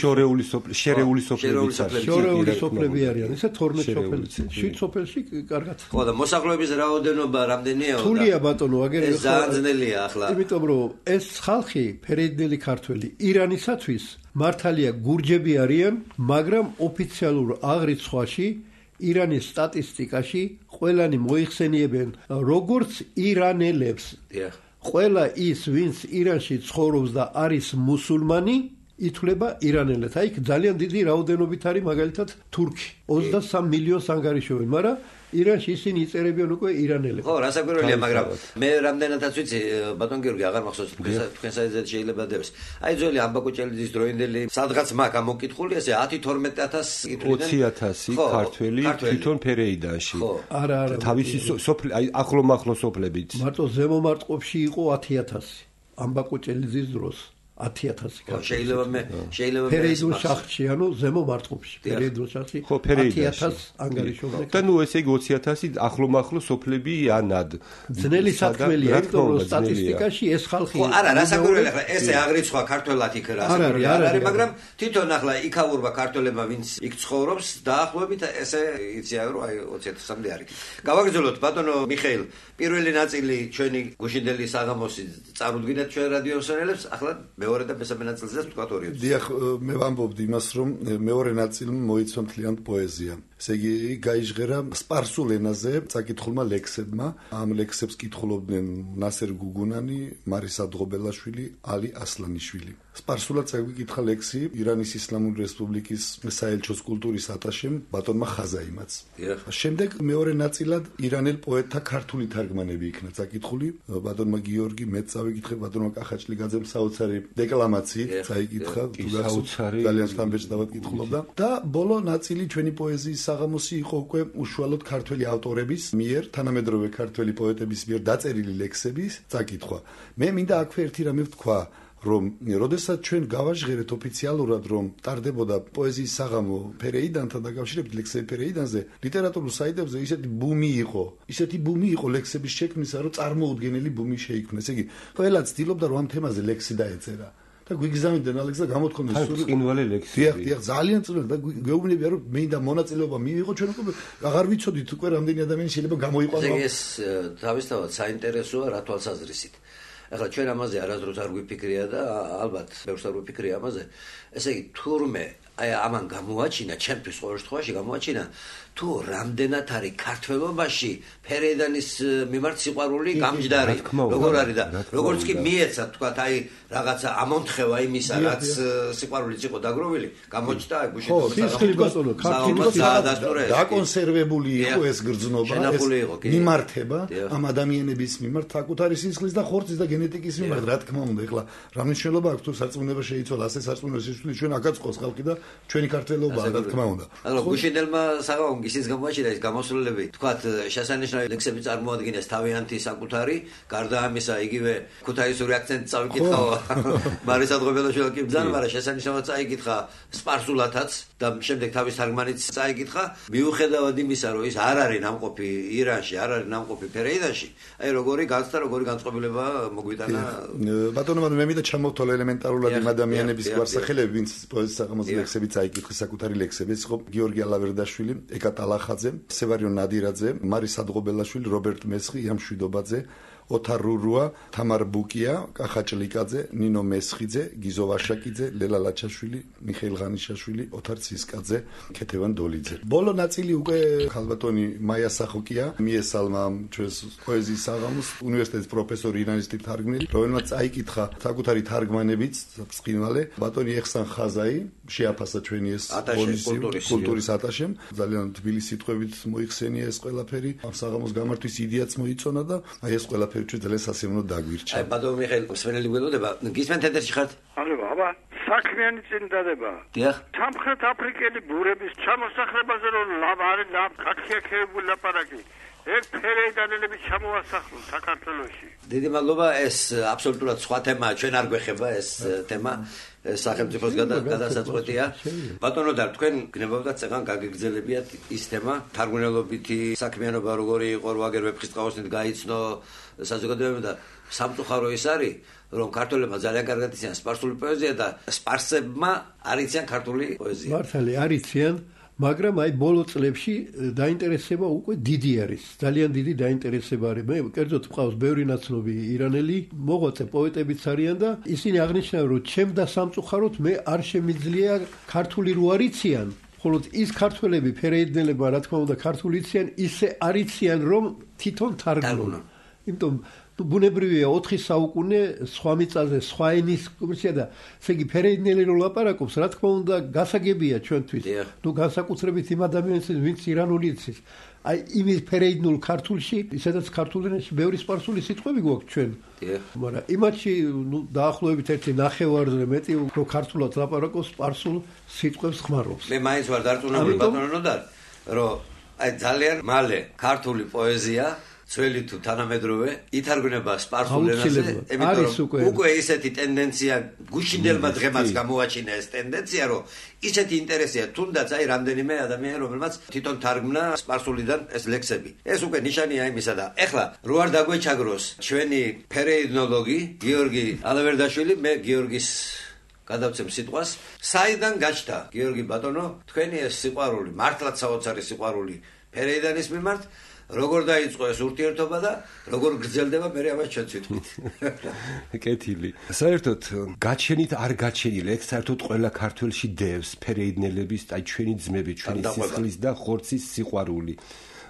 შორეული სოფლები არიან, ესე 12 სოფელი. 7 სოფელში კარგად. ხო და მოსახლეობის რაოდენობა რამდენია? თულია ბატონო, აგერ ეს ძალიან ძნელია ახლა. იმიტომ რომ ეს ხალხი ფერეიდნელი ქართველი ირანისათვის მართალია გურჯები არიან, მაგრამ ოფიციალურ აღრიცხვაში ირანის სტატისტიკაში ყველანი მოიხსენიებენ როგორც ირანელებს. ყველა ის, ვინც ირანში ცხოვრობს და არის მუსულმანი, ითვლება ირანელად. აი, ძალიან დიდი რაოდენობით არის მაგალითად თურქი. 23 მილიონს ანგარიშობენ, მაგრამ ირანში ისინი იწერებიან უკვე ირანელებს. ხო, რასაკვირველია, მაგრამ მე რამდენადაც ვიცი, ბატონ გიორგი, აღარ მახსოვს თქვენ საერთოდ შეიძლება დევს. აი, ძველი ამბაკუჭელიძის დროინდელი სადღაც მაგ ამოკითხული, ესე 10-12000 იტყვიდან 20000 ქართველი თვითონ ფერეიდანში. არა. თავისი სოფლი, აი, ახლო სოფლებით. მარტო ზემომარტყოფში იყო 10000 ამბაკუჭელიძის დროს. 10000 შეიძლება ფერეიდულ შახტში, ანუ ზემო მარტყოფში. ფერეიდულ შახტში 10000 ანგარიშობენ. და ნუ ესე იგი 20000 ახლო სოფლები ანად. ძნელი სათქმელია, იმიტომ რომ სტატისტიკაში ეს ხალხი ხო, არა, რასაკვირველია, ახლა ესე აღრიცხვა ქართველად იქ რასაკვირველია არ არის, მაგრამ თვითონ ახლა იქაურვა ქართველებმა, ვინც იქ ცხოვრობს, დაახლოებით ესე იციან, რომ აი 20000-მდე არის. გავაგრძელოთ ბატონო მიხეილ, პირველი ნაწილი ჩვენი გუშინდელი საღამოსი წარუდგინეთ ჩვენ რადიო მსმენელებს, ახლა მეორე და მესამე ნაწილზეც თქვა ორი. დიახ, მე ვამბობდი იმას, რომ მეორე ნაწილმა მოიცვა მთლიან პოეზია. ესე იგი, გაიჟღერა სპარსულ ენაზე წაკითხულმა ლექსებმა. ამ ლექსებს კითხულობდნენ ნასერ გუგუნანი, მარისა დღობელაშვილი, ალი ასლანიშვილი. სპარსულად წაგვიკითხა ლექსი ირანის ისლამური რესპუბლიკის საელჩოს კულტურის ატაშემ ბატონმა ხაზაიმაც. შემდეგ მეორე ნაწილად ირანელ პოეტთა ქართული თარგმანები იქნა წაკითხული. ბატონმა გიორგი მეც წავიკითხე, ბატონმა კახაჭლიგაძემ საოცარი დეკლამაციით წაიკითხა, ძალიან სტამბეჭდავად კითხულობდა და ბოლო ნაწილი ჩვენი პოეზიის საღამოსი იყო უკვე უშუალოდ ქართველი ავტორების მიერ, თანამედროვე ქართველი პოეტების მიერ დაწერილი ლექსების წაკითხვა. მე მინდა აქვე ერთი რამე ვთქვა, რომ როდესაც ჩვენ გავაჟღერეთ ოფიციალურად, რომ ტარდებოდა პოეზიის საღამო ფერეიდანთან დაკავშირებით ლექსები ფერეიდანზე, ლიტერატურულ საიტებზე ისეთი ბუმი იყო ლექსების შექმნისა, რომ წარმოუდგენელი ბუმი შეიქმნეს. ესე იგი, ყველა ცდილობდა რომ ამ თემაზე ლექსი დაეწერა. და გვიგზავნდნენ ალექსა გამოთქვამეს წინვალი ლექსი. დიახ, ძალიან წინვალი და გეუბნებია რომ მე და მონაწილეობა მივიღო, ჩვენ უკვე აღარ ვიცოდით უკვე რამდენი ადამიანი შეიძლება გამოიყვანო. ეს თავისთავად საინტერესოა რა თვალსაზრისით. ახლა ჩვენ ამაზე არასდროს არ გვიფიქრია და ალბათ ბევრს არ გვიფიქრია ამაზე. ესე იგი, თურმე აი ამან გამოაჩინა, ჩემთვის ყოველ შემთხვევაში გამოაჩინა თუ რამდენად არის ქართველობაში ფერეიდანის მიმართ სიყვარული გამჯდარი, როგორ არის და როგორც კი მიეცა თქვა აი რაღაცა ამონთხევა იმისა, რაც სიყვარულიც იყო დაგროვილი, გამოჩნდა აი გუშინ დაკონსერვებული იყო ეს გრძნობა, ეს მიმართება ამ ადამიანების მიმართ საკუთარი სისხლის და ხორცის და გენეტიკის მიმართ, რა თქმა უნდა, ეხლა რა მნიშვნელობა აქვს თუ სარწმუნება შეიცვალა, ასე სარწმუნოა სისხლი ჩვენ აქაც ყავს ხალხი და ჩვენი ქართველობაა, რა თქმა უნდა. ანუ გუშინელმა საღამოს ის გამოაჩინა ეს გამოსვლები, თქვათ შესანიშნავი ლექსები წარმოადგენს თავიანთი საკუთარი, გარდა ამისა იგივე ქუთაისური აქცენტი წავიკითხავ მარისა დღობელაშვილი კი ბრძანა, მაგრამ შესანიშნავად წაიკითხა სპარსულათაც და შემდეგ თავის თარგმანიც წაიკითხა, მიუხედავად იმისა, რომ ის არ არის ნამყოფი ირანში, არ არის ნამყოფი ფერეიდანში, აი როგორი განცდა, როგორი განწყობილება მოგვიტანა. ბატონო, მე მინდა ჩამოვთვალო ელემენტარულად იმ ადამიანების გვარსახელები, ვინც პოეზიის საღამოს ლექსები წაიკითხეს, საკუთარი ლექსები, ეს იყო გიორგი ალავერდაშვილი, ეკა ტალახაძე, სევარიონ ნადირაძე, მარისა დღობელაშვილი, რობერტ მესხი, იან შვიდობაძე, ოთარ რურუა, თამარ ბუკია, კახა ჭლიკაძე, ნინო მესხიძე, გიზო ვაშაკიძე, ლელა ლაჩაშვილი, მიხეილ ღანიშაშვილი, ოთარ ცისკაძე, ქეთევან დოლიძე. ბოლო ნაწილი უკვე ხალბატონი მაია სახოკია, მიესალმა ჩვენს პოეზიის საღამოს უნივერსიტეტის პროფესორი ირანისტი თარგმნელი, რომელმაც წაიკითხა საკუთარი თარგმანებიც, ბრწყინვალე, ბატონი ეხსან ხაზაი, შეაფასა ჩვენი ეს კულტურის ატაშემ, ძალიან თბილი სიტყვებით მოიხსენია ეს ყველაფერი, ამ საღამოს გამართვის იდეაც მოიწონა და აი ეს ყველაფერი ჩვენ ძალიან სასიამოვნო დაგვირჩა. აი ბატონო მიხეილ მსმენელი გველოდება, გისმენთ ეთერში ხართ? ალო, აბა, საქმიანი წინდადება. დიახ. სამხრეთ აფრიკელი ბურების ჩამოსახლებაზე რომ არის აქიაქებული ლაპარაკი. ეს ფერეიდანელები ჩამოასახლούν საქართველოში. დიდი მადლობა, ეს აბსოლუტურად სხვა თემაა, ჩვენ არ გვეხება ეს თემა. სახელმწიფოს გადასაწყვეტია. ბატონო და თქვენ გნებავდათ წეგან გაგეგრძელებიათ ის თემა, თარგმნელობითი საქმიანობა როგორი იყო, რო აგერ ვეფხისტყაოსნით გაიცნო საზოგადოება და სამწუხარო ის არის, რომ ქართველებმა ძალიან კარგად იციან სპარსული პოეზია და სპარსებმა არ იციან ქართული პოეზია. მართალი არ იციან, მაგრამ აი ბოლო წლებში დაინტერესება უკვე დიდი არის. ძალიან დიდი დაინტერესება არის. მე კერძოდ მყავს ბევრი ნაცნობი ირანელი, მოღვაწე პოეტებიც არიან და ისინი აღნიშნავენ, რომ ჩემ და სამწუხაროდ მე არ შემიძლია ქართული რო არიციან, ხოლო ის ქართველები ფერეიდნელებმა რა თქმა უნდა ქართული იციან, ისე არიციან, რომ თვითონ თარგმნონ. იმიტომ ბუნებრივია 4 საუკუნე სხვა მიწაზე, სხვა ენის კომერცია და ესე იგი ფერეიდნელი რო ლაპარაკობს, რა თქმა უნდა გასაგებია ჩვენთვის. ნუ განსაკუთრებით იმ ადამიანებს, ვინც ირანული იცის. აი იმის ფერეიდნულ ქართულში, ისედაც ქართულ ენაში ბევრი სპარსული სიტყვები გვაქვს ჩვენ. მაგრამ იმათში ნუ დაახლოებით 1/9-ზე მეტი უფრო ქართულად ლაპარაკობს, სპარსულ სიტყვებს ხმარობს. მე მაინც ვარ დარწმუნებული ბატონო და რომ აი ძალიან მალე ქართული პოეზია ძველი თუ თანამედროვე ითარგმნება სპარსულ ენაზე, იმიტომ რომ უკვე ისეთი ტენდენცია გუშინდელმა დღემაც გამოაჩინა ეს ტენდენცია, რომ ისეთი ინტერესია თუნდაც აი რამდენიმე ადამიანი, რომელმაც თვითონ თარგმნა სპარსულიდან ეს ლექსები. ეს უკვე ნიშანია იმისა და ეხლა რო არ დაგვეჩაგროს ჩვენი ფერეიდნოლოგი გიორგი ალავერდაშვილი, მე გიორგის გადავცემ სიტყვას, საიდან გაჩნდა გიორგი ბატონო თქვენი ეს სიყვარული, მართლაც საოცარი სიყვარული ფერეიდანის მიმართ? როგორ დაიწყო ეს ურთიერთობა და როგორ გრძელდება მე ამას ჩვენ ვიტყვით. კეთილი. საერთოდ გაჩენით არ გაჩენილი, ეგ საერთოდ ყველა ქართველში დევს ფერეიდნელების, აი ჩვენი ძმები, ჩვენი სისხლის და ხორცის სიყვარული.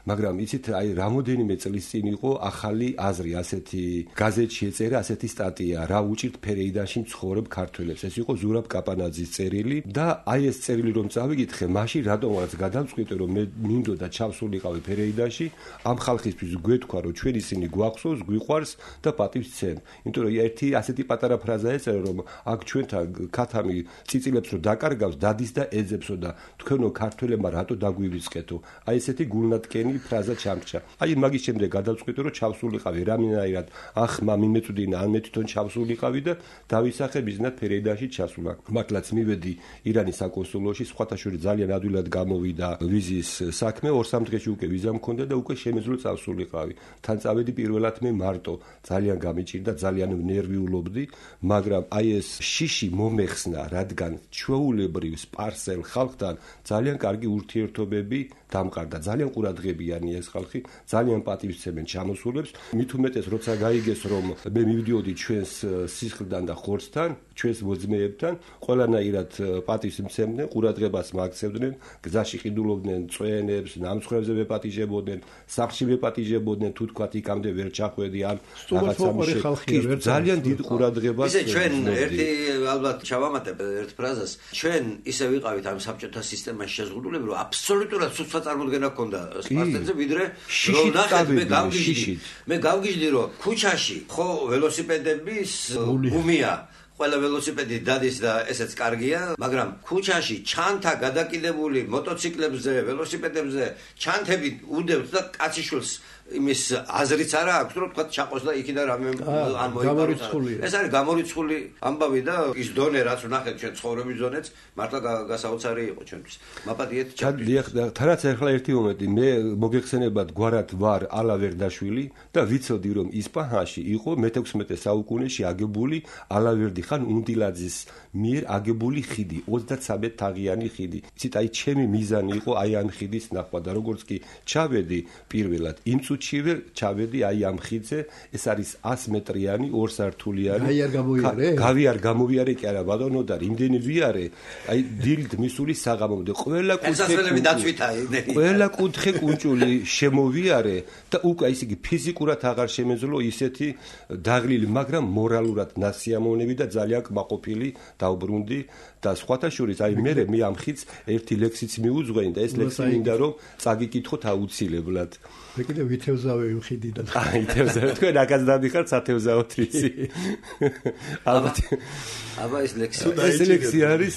მაგრამ იცით, აი რამოდენიმე წლის წინ იყო ახალი აზრი, ასეთი გაზეთში ეწერა ასეთი სტატია, რა უჭირთ ფერეიდანში მცხოვრებ ქართველებს. ეს იყო ზურაბ კაპანაძის წერილი და აი ეს წერილი რომ წავიკითხე, მაშინ რატომღაც გადამწყვიტე, რომ მე მინდოდა ჩავსულიყავი ფერეიდანში, ამ ხალხისთვის გვეთქვა, რომ ჩვენ ისინი გვახსოვს, გვიყვარს და პატივს ცენ. იმიტომ რომ ერთი ასეთი პატარა ფრაზა ეწერა, რომ აქ ჩვენთან ქათამი წიწილებს რომ დაკარგავს, დადის და ეძებსო და თქვენო ქართველებმა რატო დაგვივიწყეთო. აი ესეთი გულნატკენი ფრაზა ჩამრჩა. აი მაგის შემდეგ გადავწყვიტე რომ ჩავსულიყავი რამენაირად ახ მიმეწვდინა ან მე თვითონ ჩავსულიყავი და დავისახე ბიზნეს ფერეიდანში ჩასულა. მართლაც მივედი ირანის საკონსულოში, სხვათა შორის ძალიან ადვილად გამოვიდა ვიზის საქმე, 2-3 დღეში უკვე ვიზა მქონდა და უკვე შემეძლო წავსულიყავი. თან წავედი პირველად მე მარტო, ძალიან გამიჭირდა, ძალიან ნერვიულობდი, მაგრამ აი ეს შიში მომეხსნა, რადგან ჩვეულებრივ სპარსელ ხალხთან ძალიან კარგი ურთიერთობები დამყარდა. ძალიან ყურადღებიანი ეს ხალხი, ძალიან პატივისცემენ ჩამოსულებს. მით უმეტეს როცა გაიგეს რომ მე მივდიოდი ჩვენს სისხლიდან და ხორცთან, ჩვენს მოძმეებთან, ყველანაირად პატივისცემდნენ, ყურადღებას მაქცევდნენ, გზაში ყიდულობდნენ წვენებს, ნამცხრებზე ვეპატიჟებოდნენ, სახლში ვეპატიჟებოდნენ, თუ თქვათ იქამდე ვერ ჩახვედი ან რაღაცა ძალიან დიდ ყურადღებას. ისე ჩვენ ერთი ალბათ ჩავამატებ ერთ ფრაზას. ჩვენ ისე ვიყავით ამ საბჭოთა სისტემაში შეზღუდულები, რომ აბსოლუტურად სუსტად წარმოდგენა ჰქონდა სპარტენზე, ვიდრე რომ ნახეთ მე გავგიჟდი, რომ ქუჩაში ხო ველოსიპედების გუმია ყველა ველოსიპედი დადის და ესეც კარგია, მაგრამ ქუჩაში ჩანთა გადაკიდებული მოტოციკლებზე, ველოსიპედებზე ჩანთები უდევს და კაციშვილს იმის აზრიც არა აქვს, რომ თქვა ჩაყოს და იქიდან რამე ან მოიპაროს. ეს არის გამორიცხული ამბავი და ის დონე რაც ვნახეთ ჩვენ ცხოვრების დონეც მართლა გასაოცარი იყო ჩვენთვის. მაპატიეთ თანაც ახლა ერთი მომენტი მე მოგეხსენებათ გვარად ვარ ალა ვერდაშვილი და ვიცოდი რომ ისპაჰანში იყო მე-16 საუკუნეში აგებული ალავერდი ხან უნდილაძის მიერ აგებული ხიდი 33 თაღიანი ხიდი. იცით აი ჩემი მიზანი იყო აი ამ ხიდის ნახვა და როგორც კი ჩავედი პირველად იმ ჩივე ჩავედი აი ამ ხიდზე ეს არის 100 მეტრიანი 2 სართულიანი გავიარ გამოვიარე კი არა ბატონო და იმდენი ვიარე აი დილით მისული საღამომდე ყველა კუთხე კუნჭული შემოვიარე და უკვე ისე იგი ფიზიკურად აღარ შემეძლო ისეთი დაღლილი მაგრამ მორალურად ნასიამოვნები და ძალიან კმაყოფილი დავბრუნდი და სხვათა შორის აი მე ამ ხიდს ერთი ლექსიც მიუძღვენი და ეს ლექსი მინდა რომ წაგიკითხოთ აუცილებლად მე კიდე ვითევზავე იმ ხიდიდან აი თევზავე თქვენ აკაც დამიხართ სათევზაო თვისი აბა ეს ლექსი არის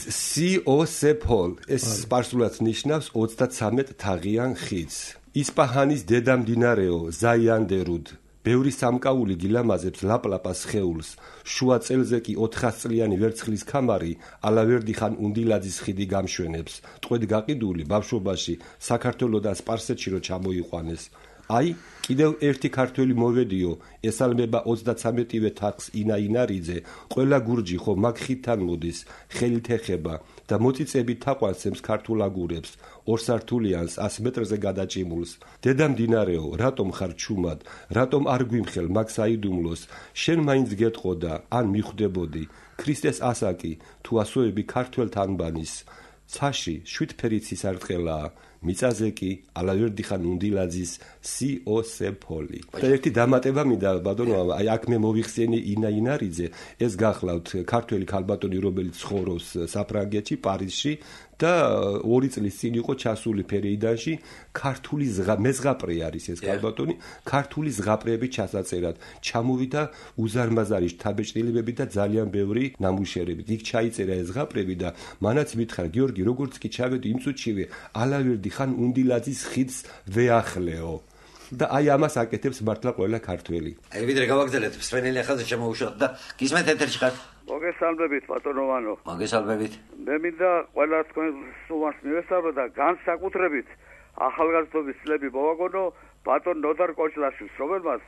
COSEPOL ეს სპარსულად ნიშნავს 33 თაღიან ხიდს ისპაჰანის დედამდინარეო ზაიანდერუდ ბევრი სამკაული გილამაზებს ლაპლაპას ხეულს შუა წელზე კი 400 წლიანი ვერცხლის ქამარი ალავერდი ხან უნდილაძის ხიდი გამშვენებს ტყვედ გაყიდული ბავშვობაში საქართველოსა და სპარსეთში რო ჩამოიყვანეს აი კიდევ ერთი ქართველი მოვედიო ესალმება 33-ვე თაღს ინაინარიძე ყველა გურჯი ხო მაგ ხიდთან მოდის ხელით ეხება და მოწიწებით თაყვანს ქართულ აგურებს ორსართულიანს 100 მეტრზე გადაჭიმულს დედამდინარეო რატომ ხარ ჩუმად რატომ არ გვიმხელ მაგ საიდუმლოს შენ მაინც გეტყოდა ან მიხვდებოდი ქრისტეს ასაკი თუ ასოები ქართველთ ანბანის ცაში შვიდფერიცის არტყელაა მიწაზე კი ალავერდი ხან უნდილაძის COSEPOL-ი. და ერთი დამატება მინდა ბატონო, აი აქ მე მოვიხსენი ინაინარიძე, ეს გახლავთ ქართველი ქალბატონი, რომელიც ცხოვრობს საფრანგეთში, პარიზში და 2 წლის წინ იყო ჩასული ფერეიდანში ქართული მეზღაპრე არის ეს ქალბატონი, ქართული ზღაპრეები ჩასაწერად. ჩამოვიდა უზარმაზარი შთაბეჭდილებები და ძალიან ბევრი ნამუშევრები. იქ ჩაიწერა ეს ზღაპრები და მანაც მითხრა გიორგი, როგორც კი ჩავედი იმ წუთშივე ალავერდი ხან უნდილაძის ხიდს ვეახლეო. და აი ამას აკეთებს მართლა ყველა ქართველი. აი ვიდრე გავაგზავნეთ სვენელი ახალზე შემოუშვათ და გისმენთ ეთერში ხართ. მოგესალმებით ბატონოვანო. მოგესალმებით. მე მინდა ყველა თქვენ სულს მივესალმო და განსაკუთრებით ახალგაზრდობის წლები მოვაგონო ბატონ ნოდარ კოჭლაშვილს, რომელმაც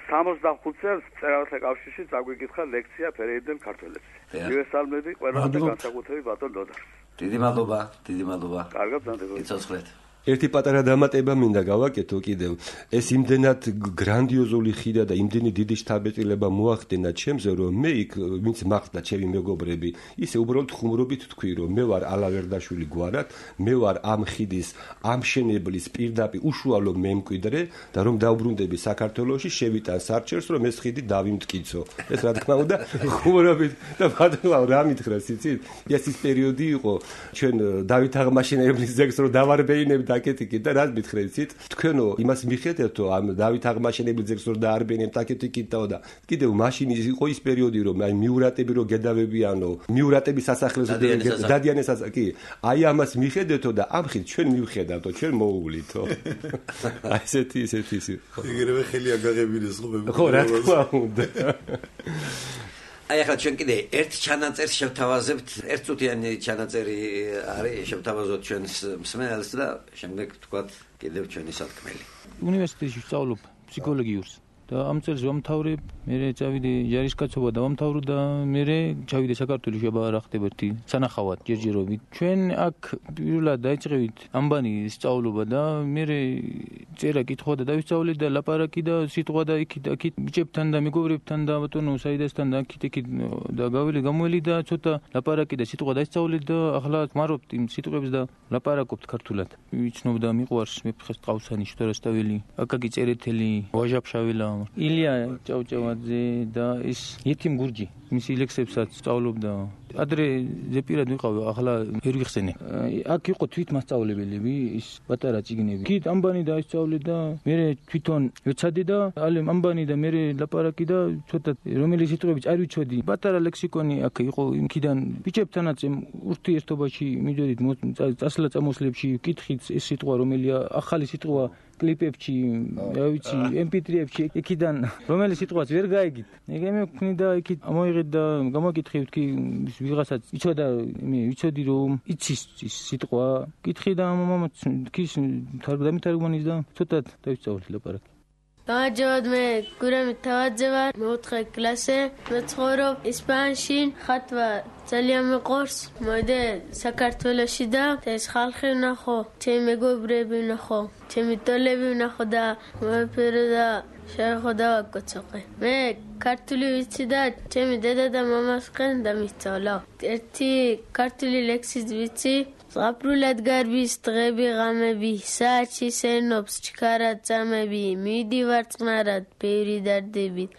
65 წელს მწერალთა კავშირში წაგვიკითხა ლექცია ფერეიდელ ქართველებს. მივესალმები ყველა და განსაკუთრებით ბატონ ნოდარს. დიდი მადლობა, დიდი მადლობა. კარგად დაგეგმოთ. იცოცხლეთ. ერთი პატარა დამატება მინდა გავაკეთო კიდევ. ეს იმდენად გრანდიოზული ხიდა და იმდენი დიდი შთაბეჭდილება მოახდენა ჩემზე, რომ მე იქ ვინც მახდა ჩემი მეგობრები, ისე უბრალოდ ხუმრობით თქვი, რომ მე ვარ ალავერდაშვილი გვარად, მე ვარ ამ ხიდის ამშენებლის პირდაპირ უშუალო მემკვიდრე და რომ დავბრუნდები საქართველოში, შევიტან სარჩელს, რომ ეს ხიდი დავიმტკიცო. ეს რა თქმა უნდა ხუმრობით და ბატონო რა მითხრას, იცით? ეს ის პერიოდი იყო, ჩვენ დავით აღმაშენებლის ზეგს რომ დავარბეინებდა აკეთიკით და რაც მითხრեցით თქვენო იმას მიხედავთო ამ დავით აღმაშენებლის ზეგს რომ დაარბენებთ აკეთიკითო და კიდევ მაშინ იყო ის პერიოდი რომ აი მიურატები რომ გედავებიანო მიურატების სასახლეზე დადიანეს კი აი ამას მიხედავთო და ამ ხით ჩვენ მივხედავთო ჩვენ მოუვლითო აი ესეთი ეგრევე ხელი აგაღებინეს ხო რა თქმა უნდა აი ახლა ჩვენ კიდე ერთ ჩანაწერს შევთავაზებთ, ერთ წუთიანი ჩანაწერი არის, შევთავაზოთ ჩვენს მსმენელს და შემდეგ თქვათ კიდევ ჩვენი სათქმელი. უნივერსიტეტში ვსწავლობ ფსიქოლოგიურს. და ამ წელს ვამთავრებ, მე წავიდე ჯარისკაცობა და ვამთავრო და მე ჩავიდე საქართველოს შაბა რა ხდება ერთი სანახავად ჯერჯერობით. ჩვენ აქ პირველად დაიწყევით ამბანი სწავლობა და მე წერა კითხვა და დავისწავლე და ლაპარაკი და სიტყვა და იქით ბიჭებთან და მეგობრებთან და ბატონო საიდასთან და აქით და გამოველი და ცოტა ლაპარაკი და სიტყვა დაისწავლე და ახლა ვმარობთ იმ სიტყვებს და ლაპარაკობთ ქართულად. ვიცნობ და მიყვარს მეფხეს ტყავსანი შუქარასტაველი, აკაკი წერეთელი, ვაჟაფშაველა, ილია ჭავჭავაძე და ის ეთიმ გურჯი მისი ლექსებსაც სწავლობდა. ადრე ზეპირად ვიყავ, ახლა ვერ ვიხსენე. აქ იყო თვით მასწავლებლები, ის პატარა წიგნები. იქით ამბანი დაისწავლე და მე თვითონ ვეცადე და ალემ ამბანი და მე ლაპარაკი და ცოტა რომელი სიტყვებიც არ ვიცოდი. პატარა ლექსიკონი აქ იყო იმქიდან ბიჭებთანაც ურთიერთობაში მიდოდით წასვლა წამოსლებში ვკითხით ეს სიტყვა რომელია ახალი სიტყვა კლიპებში, რა ვიცი, MP3-ებში, იქიდან რომელი სიტყვაც ვერ გაიგით. ეგ მე და იქით ამოიღეთ და გამოკითხეთ კი ვიღასაც იცოდა, ვიცოდი რომ იცის სიტყვა. კითხე და მამაც ქის დამითარგმნის და ცოტა დავისწავლე ლაპარაკი. გამარჯობათ, მე გურამი თავაძე ვარ, მე-4 კლასე, მე ცხოვრობ ისპანიაში, ხატვა ძალიან მეყვარს, მოდე საქართველოში და ეს ხალხი ვნახო, ჩემი მეგობრები ვნახო, ჩემი ტოლები ვნახო და მოვიფერო და შევეხო და ვაკოცოყე. მე ქართული ვიცი და ჩემი დედა და მამასკენ დამისწავლა. ერთი ქართული ლექსიც ვიცი. ზღაპრულად გარბის დღები ღამები, საათში სენობს ჩქარად წამები, მივდივარ წყნარად ბევრი დარდებით,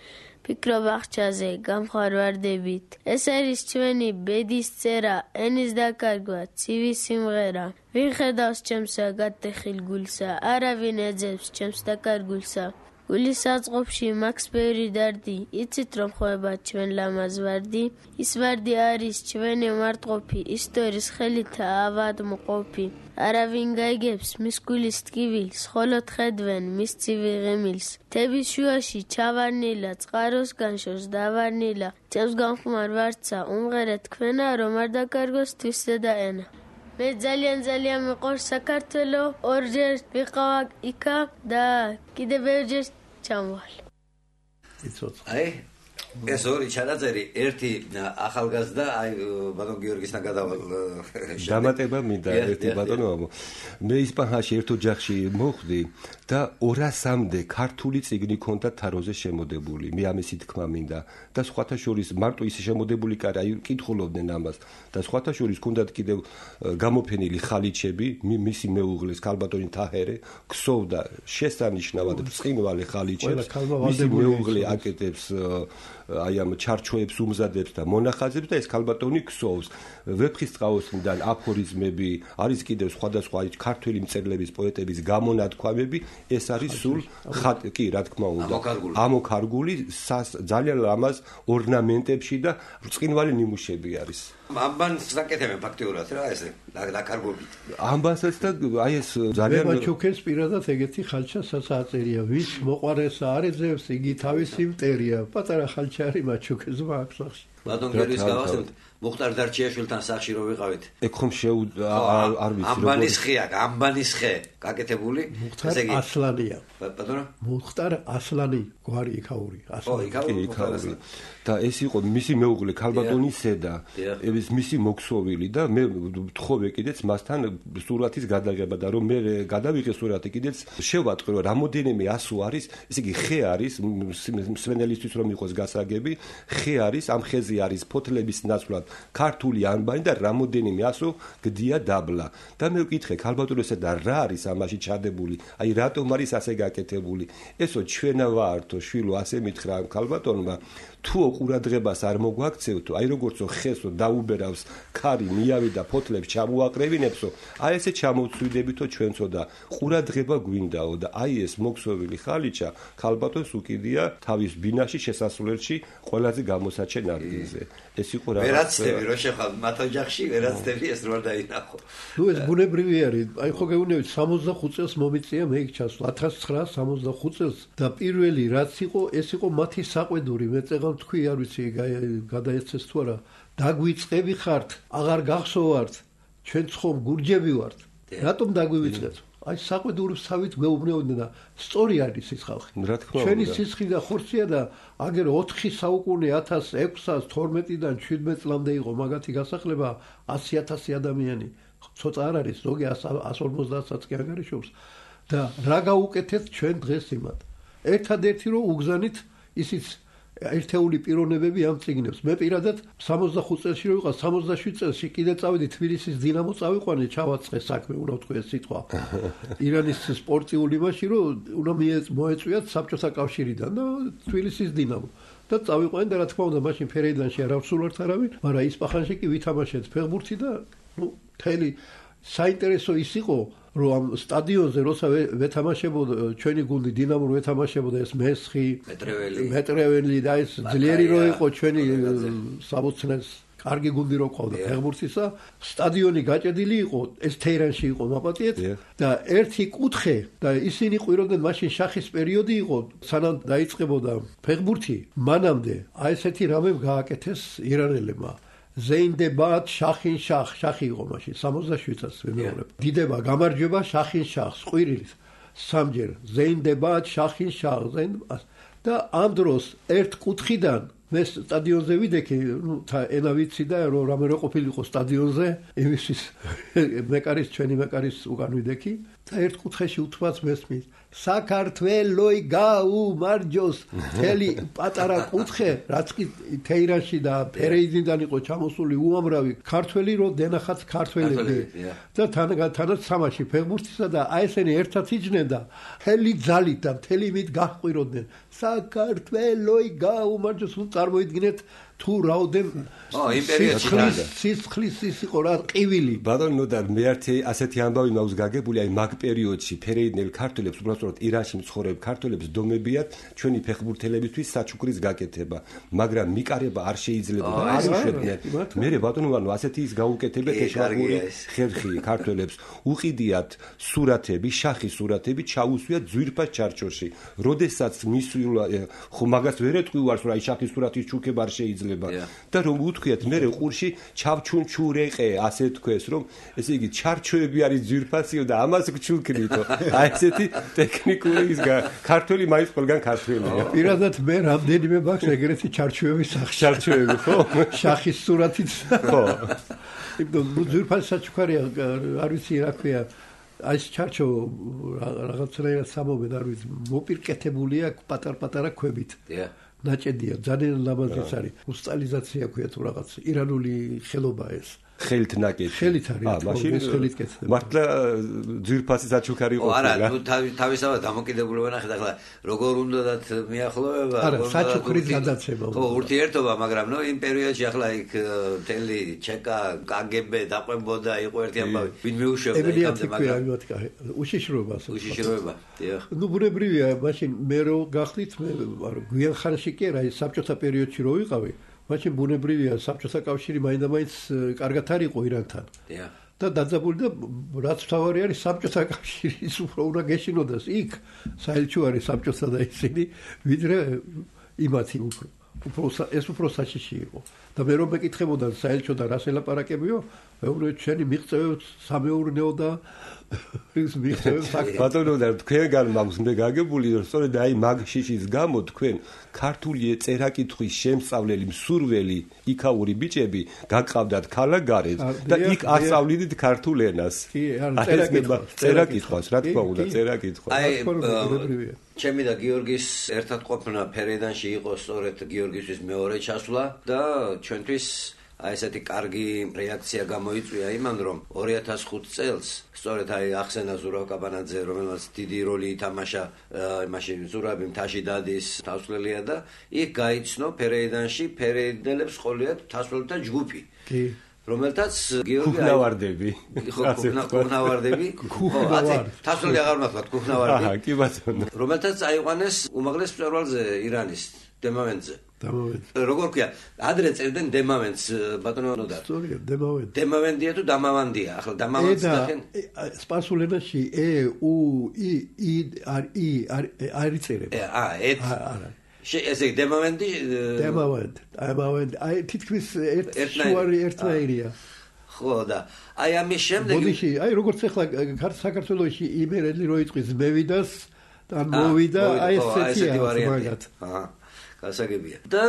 ფიქრობ აღჭაზე გამხარ ვარდებით. ეს არის ჩვენი ბედის წერა, ენის დაკარგვა, ცივი სიმღერა. ვინ ხედავს ჩემს გატეხილ გულსა, არავინ ეძებს ჩემს დაკარგულსა. გულის საწყობში მაქვს ბევრი დარდი, იცით რომ ხვება ჩვენ ლამაზ ვარდი. ის ვარდი არის ჩვენი მარტყოფი, ისტორიის ხელითა ავადმყოფი. არავინ გაიგებს მის გულის ტკივილს, ხოლო ხედვენ მის ცივი ღიმილს. თების შუაში ჩავარნილა, წყაროს განშორს დავარნილა. წევს გამხმარ ვარცა, უმღერე თქვენა, რომ არ დაკარგოს თვისე და ენა. მე ძალიან მიყვარს საქართველო, ორჯერ ვიყავ იქა და კიდე ბევრჯერ ჩამოვალ. აი ეს ორი ჩანაწერი, ერთი ახალგაზრდა, აი ბატონ გიორგისთან გადავალ. დამატება მინდა ერთი ბატონო. მე ისპანიაში ერთ ოჯახში მოხვდი და 200-მდე ქართული წიგნი ქონდა თაროზე შემოდებული. მე ამისი თქმა მინდა და სხვათა შორის მარტო ისე შემოდებული კი არა, აი კითხულობდნენ ამას და სხვათა შორის ქონდათ კიდევ გამოფენილი ხალიჩები, მისი მეუღლის ქალბატონი თაჰერე ქსოვდა შესანიშნავად ბრწყინვალე ხალიჩებს. მისი მეუღლე აკეთებს აი ამ ჩარჩოებს უმზადებს და მონახაზებს და ეს ქალბატონი ქსოვს. ვეფხისტყაოსნიდან აფორიზმები, არის კიდევ სხვადასხვა ქართველი მწერლების, პოეტების გამონათქვამები, ეს არის სულ კი, რა თქმა უნდა, ამოქარგული ძალიან ლამაზ ორნამენტებში და ბრწყინვალე ნიმუშები არის. ამბანს საკეთებენ ფაქტიურად რა ესე დაკარგობით. ამბანსაც და აი ეს ძალიან მეჩუქეს პირადად ეგეთი ხალჩასაც აწერია, ვის მოყარეს არეძებს, იგი თავისი მტერია. პატარა ხალჩარი მაჩუქეს მაქვს სახში. ბატონ გერვის გავასწრებთ, მუხტარ დარჩიაშვილთან სახში რო ვიყავით. ეგ ხომ არ ვიცი როგორ. ამბანის ხეა, ამბანის ხე, გაკეთებული. ესე იგი ასლანია. ბატონო? მუხტარ ასლანი, გვარი იქაური, ასლანი. იქაური. და ეს იყო მისი მეუღლე ქალბატონი სედა. ეს მისი მოქსოვილი და მე ვთხოვე კიდეც მასთან სურათის გადაღება და რომ მე გადავიღე სურათი კიდეც შევატყვი რომ რამოდენიმე ასო არის, ესე იგი ხე არის მსვენელისთვის რომ იყოს გასაგები, ხე არის, ამ ხეზე არის ფოთლების ნაცვლად ქართული ანბანი და რამოდენიმე ასო გდია დაბლა. და მე ვკითხე ქალბატონოსა და რა არის ამაში ჩადებული? აი რატომ არის ასე გაკეთებული? ესო ჩვენა ვართო შვილო ასე მითხრა ქალბატონმა თუ ყურადღებას არ მოგვაქცევთო, აი როგორცო ხესო დაუბერავს ქარი მიავი და ფოთლებს ჩამოაყრევინებსო, აი ესე ჩამოვცვიდებითო ჩვენცო და ყურადღება გვინდაო და აი ეს მოქსოვილი ხალიჩა ქალბატონს უკიდია თავის ბინაში შესასვლელში ყველაზე გამოსაჩენ ადგილზე. ეს იყო რა. ვერაცდები რო შეხვალ მათ ოჯახში, ვერაცდები ეს რო არ დაინახო. ნუ ეს ბუნებრივი არის. აი ხო გეუბნებით 65 წელს მომიწია მე იქ ჩასვლა. 1965 წელს და პირველი რაც იყო, ეს იყო მათი საყვედური. მე წეგან თქვი არ ვიცი გადაეცეს თუ არა. დაგვიწყები ხართ, აღარ გახსოვართ. ჩვენ ხომ გურჯები ვართ. რატომ დაგვივიწყეთ? აი საყვედურებსავით მეუბნეოდნენ და სწორი არის ის ხალხი. ჩვენი სისხლი და ხორცია და აგერ 4 საუკუნე 1612-დან 17 წლამდე იყო მაგათი გასახლება 100,000 ადამიანი. ცოტა არ არის, ზოგი 150-საც კი ანგარიშობს და რა გაუკეთეთ ჩვენ დღეს იმათ. ერთადერთი რომ უგზანით ისიც ერთეული პიროვნებები ამ წიგნებს. მე პირადად 65 წელში რო ვიყავ, 67 წელში კიდე წავედი თბილისის დინამო წავიყვანე, ჩავაწყე საქმე, უნდა ვთქვი ეს სიტყვა. ირანის სპორტიული მასში რომ უნდა მოეწვიათ საბჭოთა კავშირიდან და თბილისის დინამო. და წავიყვანე და რა თქმა უნდა, მაშინ ფერეიდანში არ ავსულართ არავინ, მაგრამ ისპახანში კი ვითამაშეთ ფეხბურთი და მთელი საინტერესო ის იყო რომ ამ სტადიონზე როცა ვეთამაშებოდა ჩვენი გუნდი დინამო ვეთამაშებოდა ეს მესხი მეტრეველი და ეს ძლიერი რო იყო ჩვენი საბოცნეს კარგი გუნდი რო ყავდა ფეხბურთისა სტადიონი გაჭედილი იყო ეს თეირანში იყო მაპატიეთ და ერთი კუთხე და ისინი ყვიროდნენ მაშინ შახის პერიოდი იყო სანამ დაიწყებოდა ფეხბურთი მანამდე აი ესეთი რამე გააკეთეს ირანელებმა ზეინდებათ შახინ შახი იყო მაშინ 67-ას ვიმეორებ. დიდება გამარჯვება შახინ შახს ყვირილის სამჯერ ზეინდებათ შახინ შახს და ამ დროს ერთ კუთხიდან მე სტადიონზე ვიდექი, ენა ვიცი და რომ რამე რო ყოფილიყო სტადიონზე, იმისთვის მეკარის ჩვენი მეკარის უკან ვიდექი და ერთ კუთხეში უთმაც მესმის საქართველოი გაუმარჯოს თელი პატარა კუთხე რაც კი თეირანში და ფერეიდიდან იყო ჩამოსული უამრავი ქართველი რო დენახაც ქართველები და თანაც სამაში ფეხბურთისა და აი ესენი ერთად იჯდნენ და თელი ძალით და თელი მით გაჰყვიროდნენ საქართველოი გაუმარჯოს წარმოიდგინეთ თუ რაოდენ სისხლის ის იყო რა ყივილი ბატონო და მე ერთი ასეთი ამბავი მაქვს გაგებული აი მაგ პერიოდში ფერეიდნელ ქართველებს უბრალოდ ირანში მცხოვრებ ქართველებს დომებიათ ჩვენი ფეხბურთელებისთვის საჩუქრის გაკეთება მაგრამ მიკარება არ შეიძლება და არ უშვებდნენ მე ბატონო ვანო ასეთი ის გაუკეთებიათ ეშარგული ხერხი ქართველებს უყიდიათ სურათები შახის სურათები ჩაუსვიათ ძვირფას ჩარჩოში როდესაც მისვლა ხო მაგას ვერ ეტყვივარს რომ აი შახის სურათის ჩუქება არ შეიძლება და რომ უთქვიათ მე ყურში ჩავჩუნჩურეყე ასე თქვეს რომ ესე იგი ჩარჩოები არის ძვირფასიო და ამას გჩუქნითო აი ესეთი ტექნიკური ის ქართველი მაინც ყველგან ქართველია პირადად მე რამდენიმე მაქვს ეგრეთი ჩარჩოები ჩარჩოები ხო შახის სურათით ხო იმიტომ ძვირფასი საჩუქარია არ ვიცი რა ქვია აი ჩარჩო რაღაცნაირად სამობენ არ ვიცი მოპირკეთებულია პატარ-პატარა ქვებით ნაჭედია ძალიან ლამაზიც არის უსტალიზაცია ქვია თუ რაღაც ირანული ხელობა ეს ხელით ნაკეთი ხელით არის მაშინ ხელით კეთდება მართლა ძვირფასი საჩუქარი იყო არა თუ თავისთავად დამოკიდებულება ნახეთ ახლა როგორ უნდათ მიახლოვება არა საჩუქრის გადაცემა ხო ურთიერთობა მაგრამ ნო იმ პერიოდში ახლა იქ თელი ჩეკა კგბ დაყვებოდა იყო ერთი ამბავი ვინ მეუშვებდა იქამდე მაგრამ უშიშროება დიახ ნუ ბუნებრივია მაშინ მე რო გახდით მე გვიან ხანში კი არა საბჭოთა პერიოდში რო ვიყავი მაშინ ბუნებრივია საბჭოთა კავშირი მაინდა-მაინც კარგად არ იყო ირანთან. და დაძაბული და რაც თავარი არის საბჭოთა კავშირის უფრო უნდა გეშინოდას იქ საელჩო არის საბჭოთა და ისინი ვიდრე იმათი ეს უფრო საშიში იყო. და მე რომ მეკითხებოდა საელჩო და რას ელაპარაკებიო, მეუბნე ჩვენი მიღწევებს სამეურნეო და ბატონო და თქვენგან მაქვს მე გაგებული რომ სწორედ აი მაგ შიშის გამო თქვენ ქართული წერა-კითხვის შემსწავლელი მსურველი იქაური ბიჭები გაგყავდათ ქალაქგარეთ და იქ ასწავლიდით ქართულ ენას. კი, წერა-კითხვას, რა თქმა უნდა, წერა-კითხვა. აი ჩემი და გიორგის ერთად ყოფნა ფერეიდანში იყო სწორედ გიორგისთვის მეორე ჩასვლა და ჩვენთვის აი ესეთი კარგი რეაქცია გამოიწვია იმან რომ 2005 წელს სწორედ აი ახსენა ზურაბ კაბანაძე რომელმაც დიდი როლი ითამაშა მაშინ ზურაბი მთაში დადის თასვლელია და იქ გაიცნო ფერეიდანში ფერეიდნელებს ყოლიათ თასვლელთა ჯგუფი კი რომელთაც გიორგი კუხნავარდები კუხნავარდები ხო თასვლელი აღარ მართლა კუხნავარდი კი ბატონო რომელთაც აიყვანეს უმაღლეს მწვერვალზე ირანის დემავენტზე როგორ ქვია ადრე წერდნენ დემავენტს ბატონო ნოდა სწორია დემავენტ დემავენტია თუ დამავანდია ახლა დამავენტს ნახენ სპარსულ ენაში უ ი არ იწერება არა ესე დემავენტი აი თითქმის ერთნაირია ხო და აი ამის შემდეგ ბოდიში აი როგორც ახლა საქართველოში იმერელი რო იტყვის მევიდას და მოვიდა აი ესეთი ვარიანტი გასაგებია და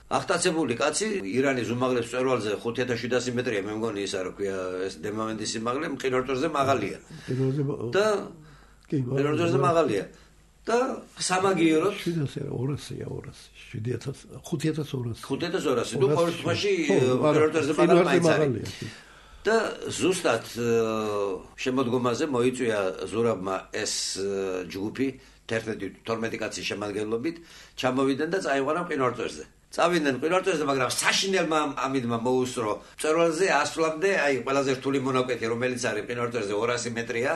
ახტაცებული კაცი ირანის უმაღლეს მწვერვალზე 5700 მეტრია მე მგონი ისა რა ქვია ეს დემამენტის სიმაღლე მყინვარწვერზე მაღალია და მყინვარწვერზე მაღალია და სამაგიეროდ 5200 ნუ ყოველ შემთხვევაში მყინვარწვერზე მაღალია და ზუსტად შემოდგომაზე მოიწვია ზურაბმა ეს ჯგუფი 11-12 კაცის შემადგენლობით ჩამოვიდნენ და წაიყვანა მყინვარწვერზე წავიდნენ მყინვარწვერზე, მაგრამ საშინელმა ამიდმა მოუსწრო მწვერვალზე ასვლამდე, აი ყველაზე რთული მონაკვეთი, რომელიც არის მყინვარწვერზე 200 მეტრია,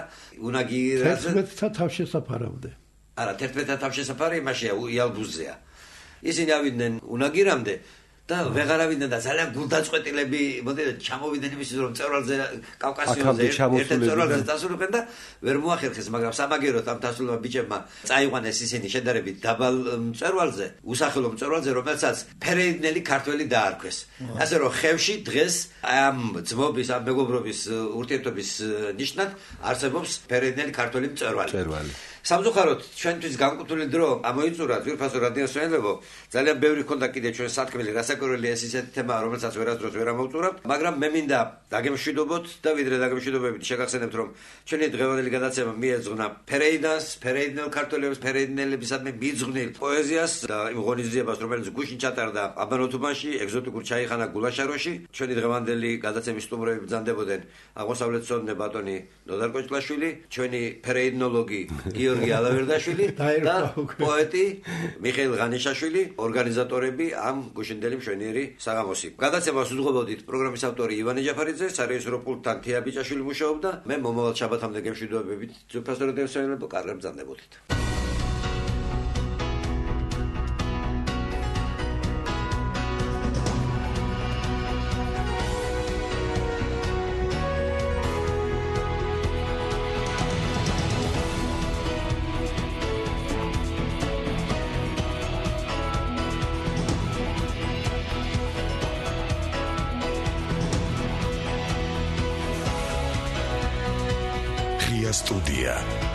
უნაგირაზე 11-თა თავშესაფარამდე. არა, 11-თა თავშესაფარი იმაშია, იალბუზზეა. ისინი ავიდნენ უნაგირამდე და ვეღარ ავიდნენ და ძალიან გულდაწყვეტილები, მოდით ჩამოვიდნენ იმის რომ მწვერვალზე კავკასიონზე ერთ მწვერვალზე დასულიყენ და ვერ მოახერხეს, მაგრამ სამაგეროდ ამ დასულმა ბიჭებმა წაიყვანეს ისინი შედარებით დაბალ მწვერვალზე, უსახელო მწვერვალზე, რომელსაც ფერეიდნელი ქართველი დაარქვეს. ასე რომ ხევში დღეს ამ ძმობის, ამ მეგობრობის ურთიერთობის ნიშნად არსებობს ფერეიდნელი ქართველი მწვერვალი. სამწუხაროდ ჩვენთვის განკუთვნილი დრო ამოიწურა ძვირფასო რადიოსმენელებო ძალიან ბევრი ქონდა კიდე ჩვენ სათქმელი რასაკვირველია ეს ისეთი თემაა რომელსაც ვერასდროს ვერ ამოვწურავთ მაგრამ მე მინდა დაგემშვიდობოთ და ვიდრე დაგემშვიდობებით შეგახსენებთ რომ ჩვენი დღევანდელი გადაცემა მიეძღვნა ფერეიდას ფერეიდნელ ქართველებს ფერეიდნელებისადმი მიძღვნილ პოეზიას და იმ ღონისძიებას რომელიც გუშინ ჩატარდა აბანოთუბანში ეგზოტიკურ ჩაიხანა გულაშაროში ჩვენი დღევანდელი გადაცემის სტუმრები ბრძანდებოდნენ აღმოსავლეთ ცოდნე ბატონი ნოდარ კოჭლაშვილი ჩვენი ფერეიდნოლოგი გიორგი ალავერდაშვილი და პოეტი მიხეილ ღანიშაშვილი, ორგანიზატორები ამ გუშინდელი მშვენიერი საღამოსი. გადაცემას უძღვებოდით პროგრამის ავტორი ივანე ჯაფარიძე, სარეჟისორო პულტთან თია ბიჭაშვილი მუშაობდა. მე მომავალ შაბათამდე გემშვიდობებით ძვირფასო რადიოსმენელებო კარგად ბრძანდებოდით. Студия.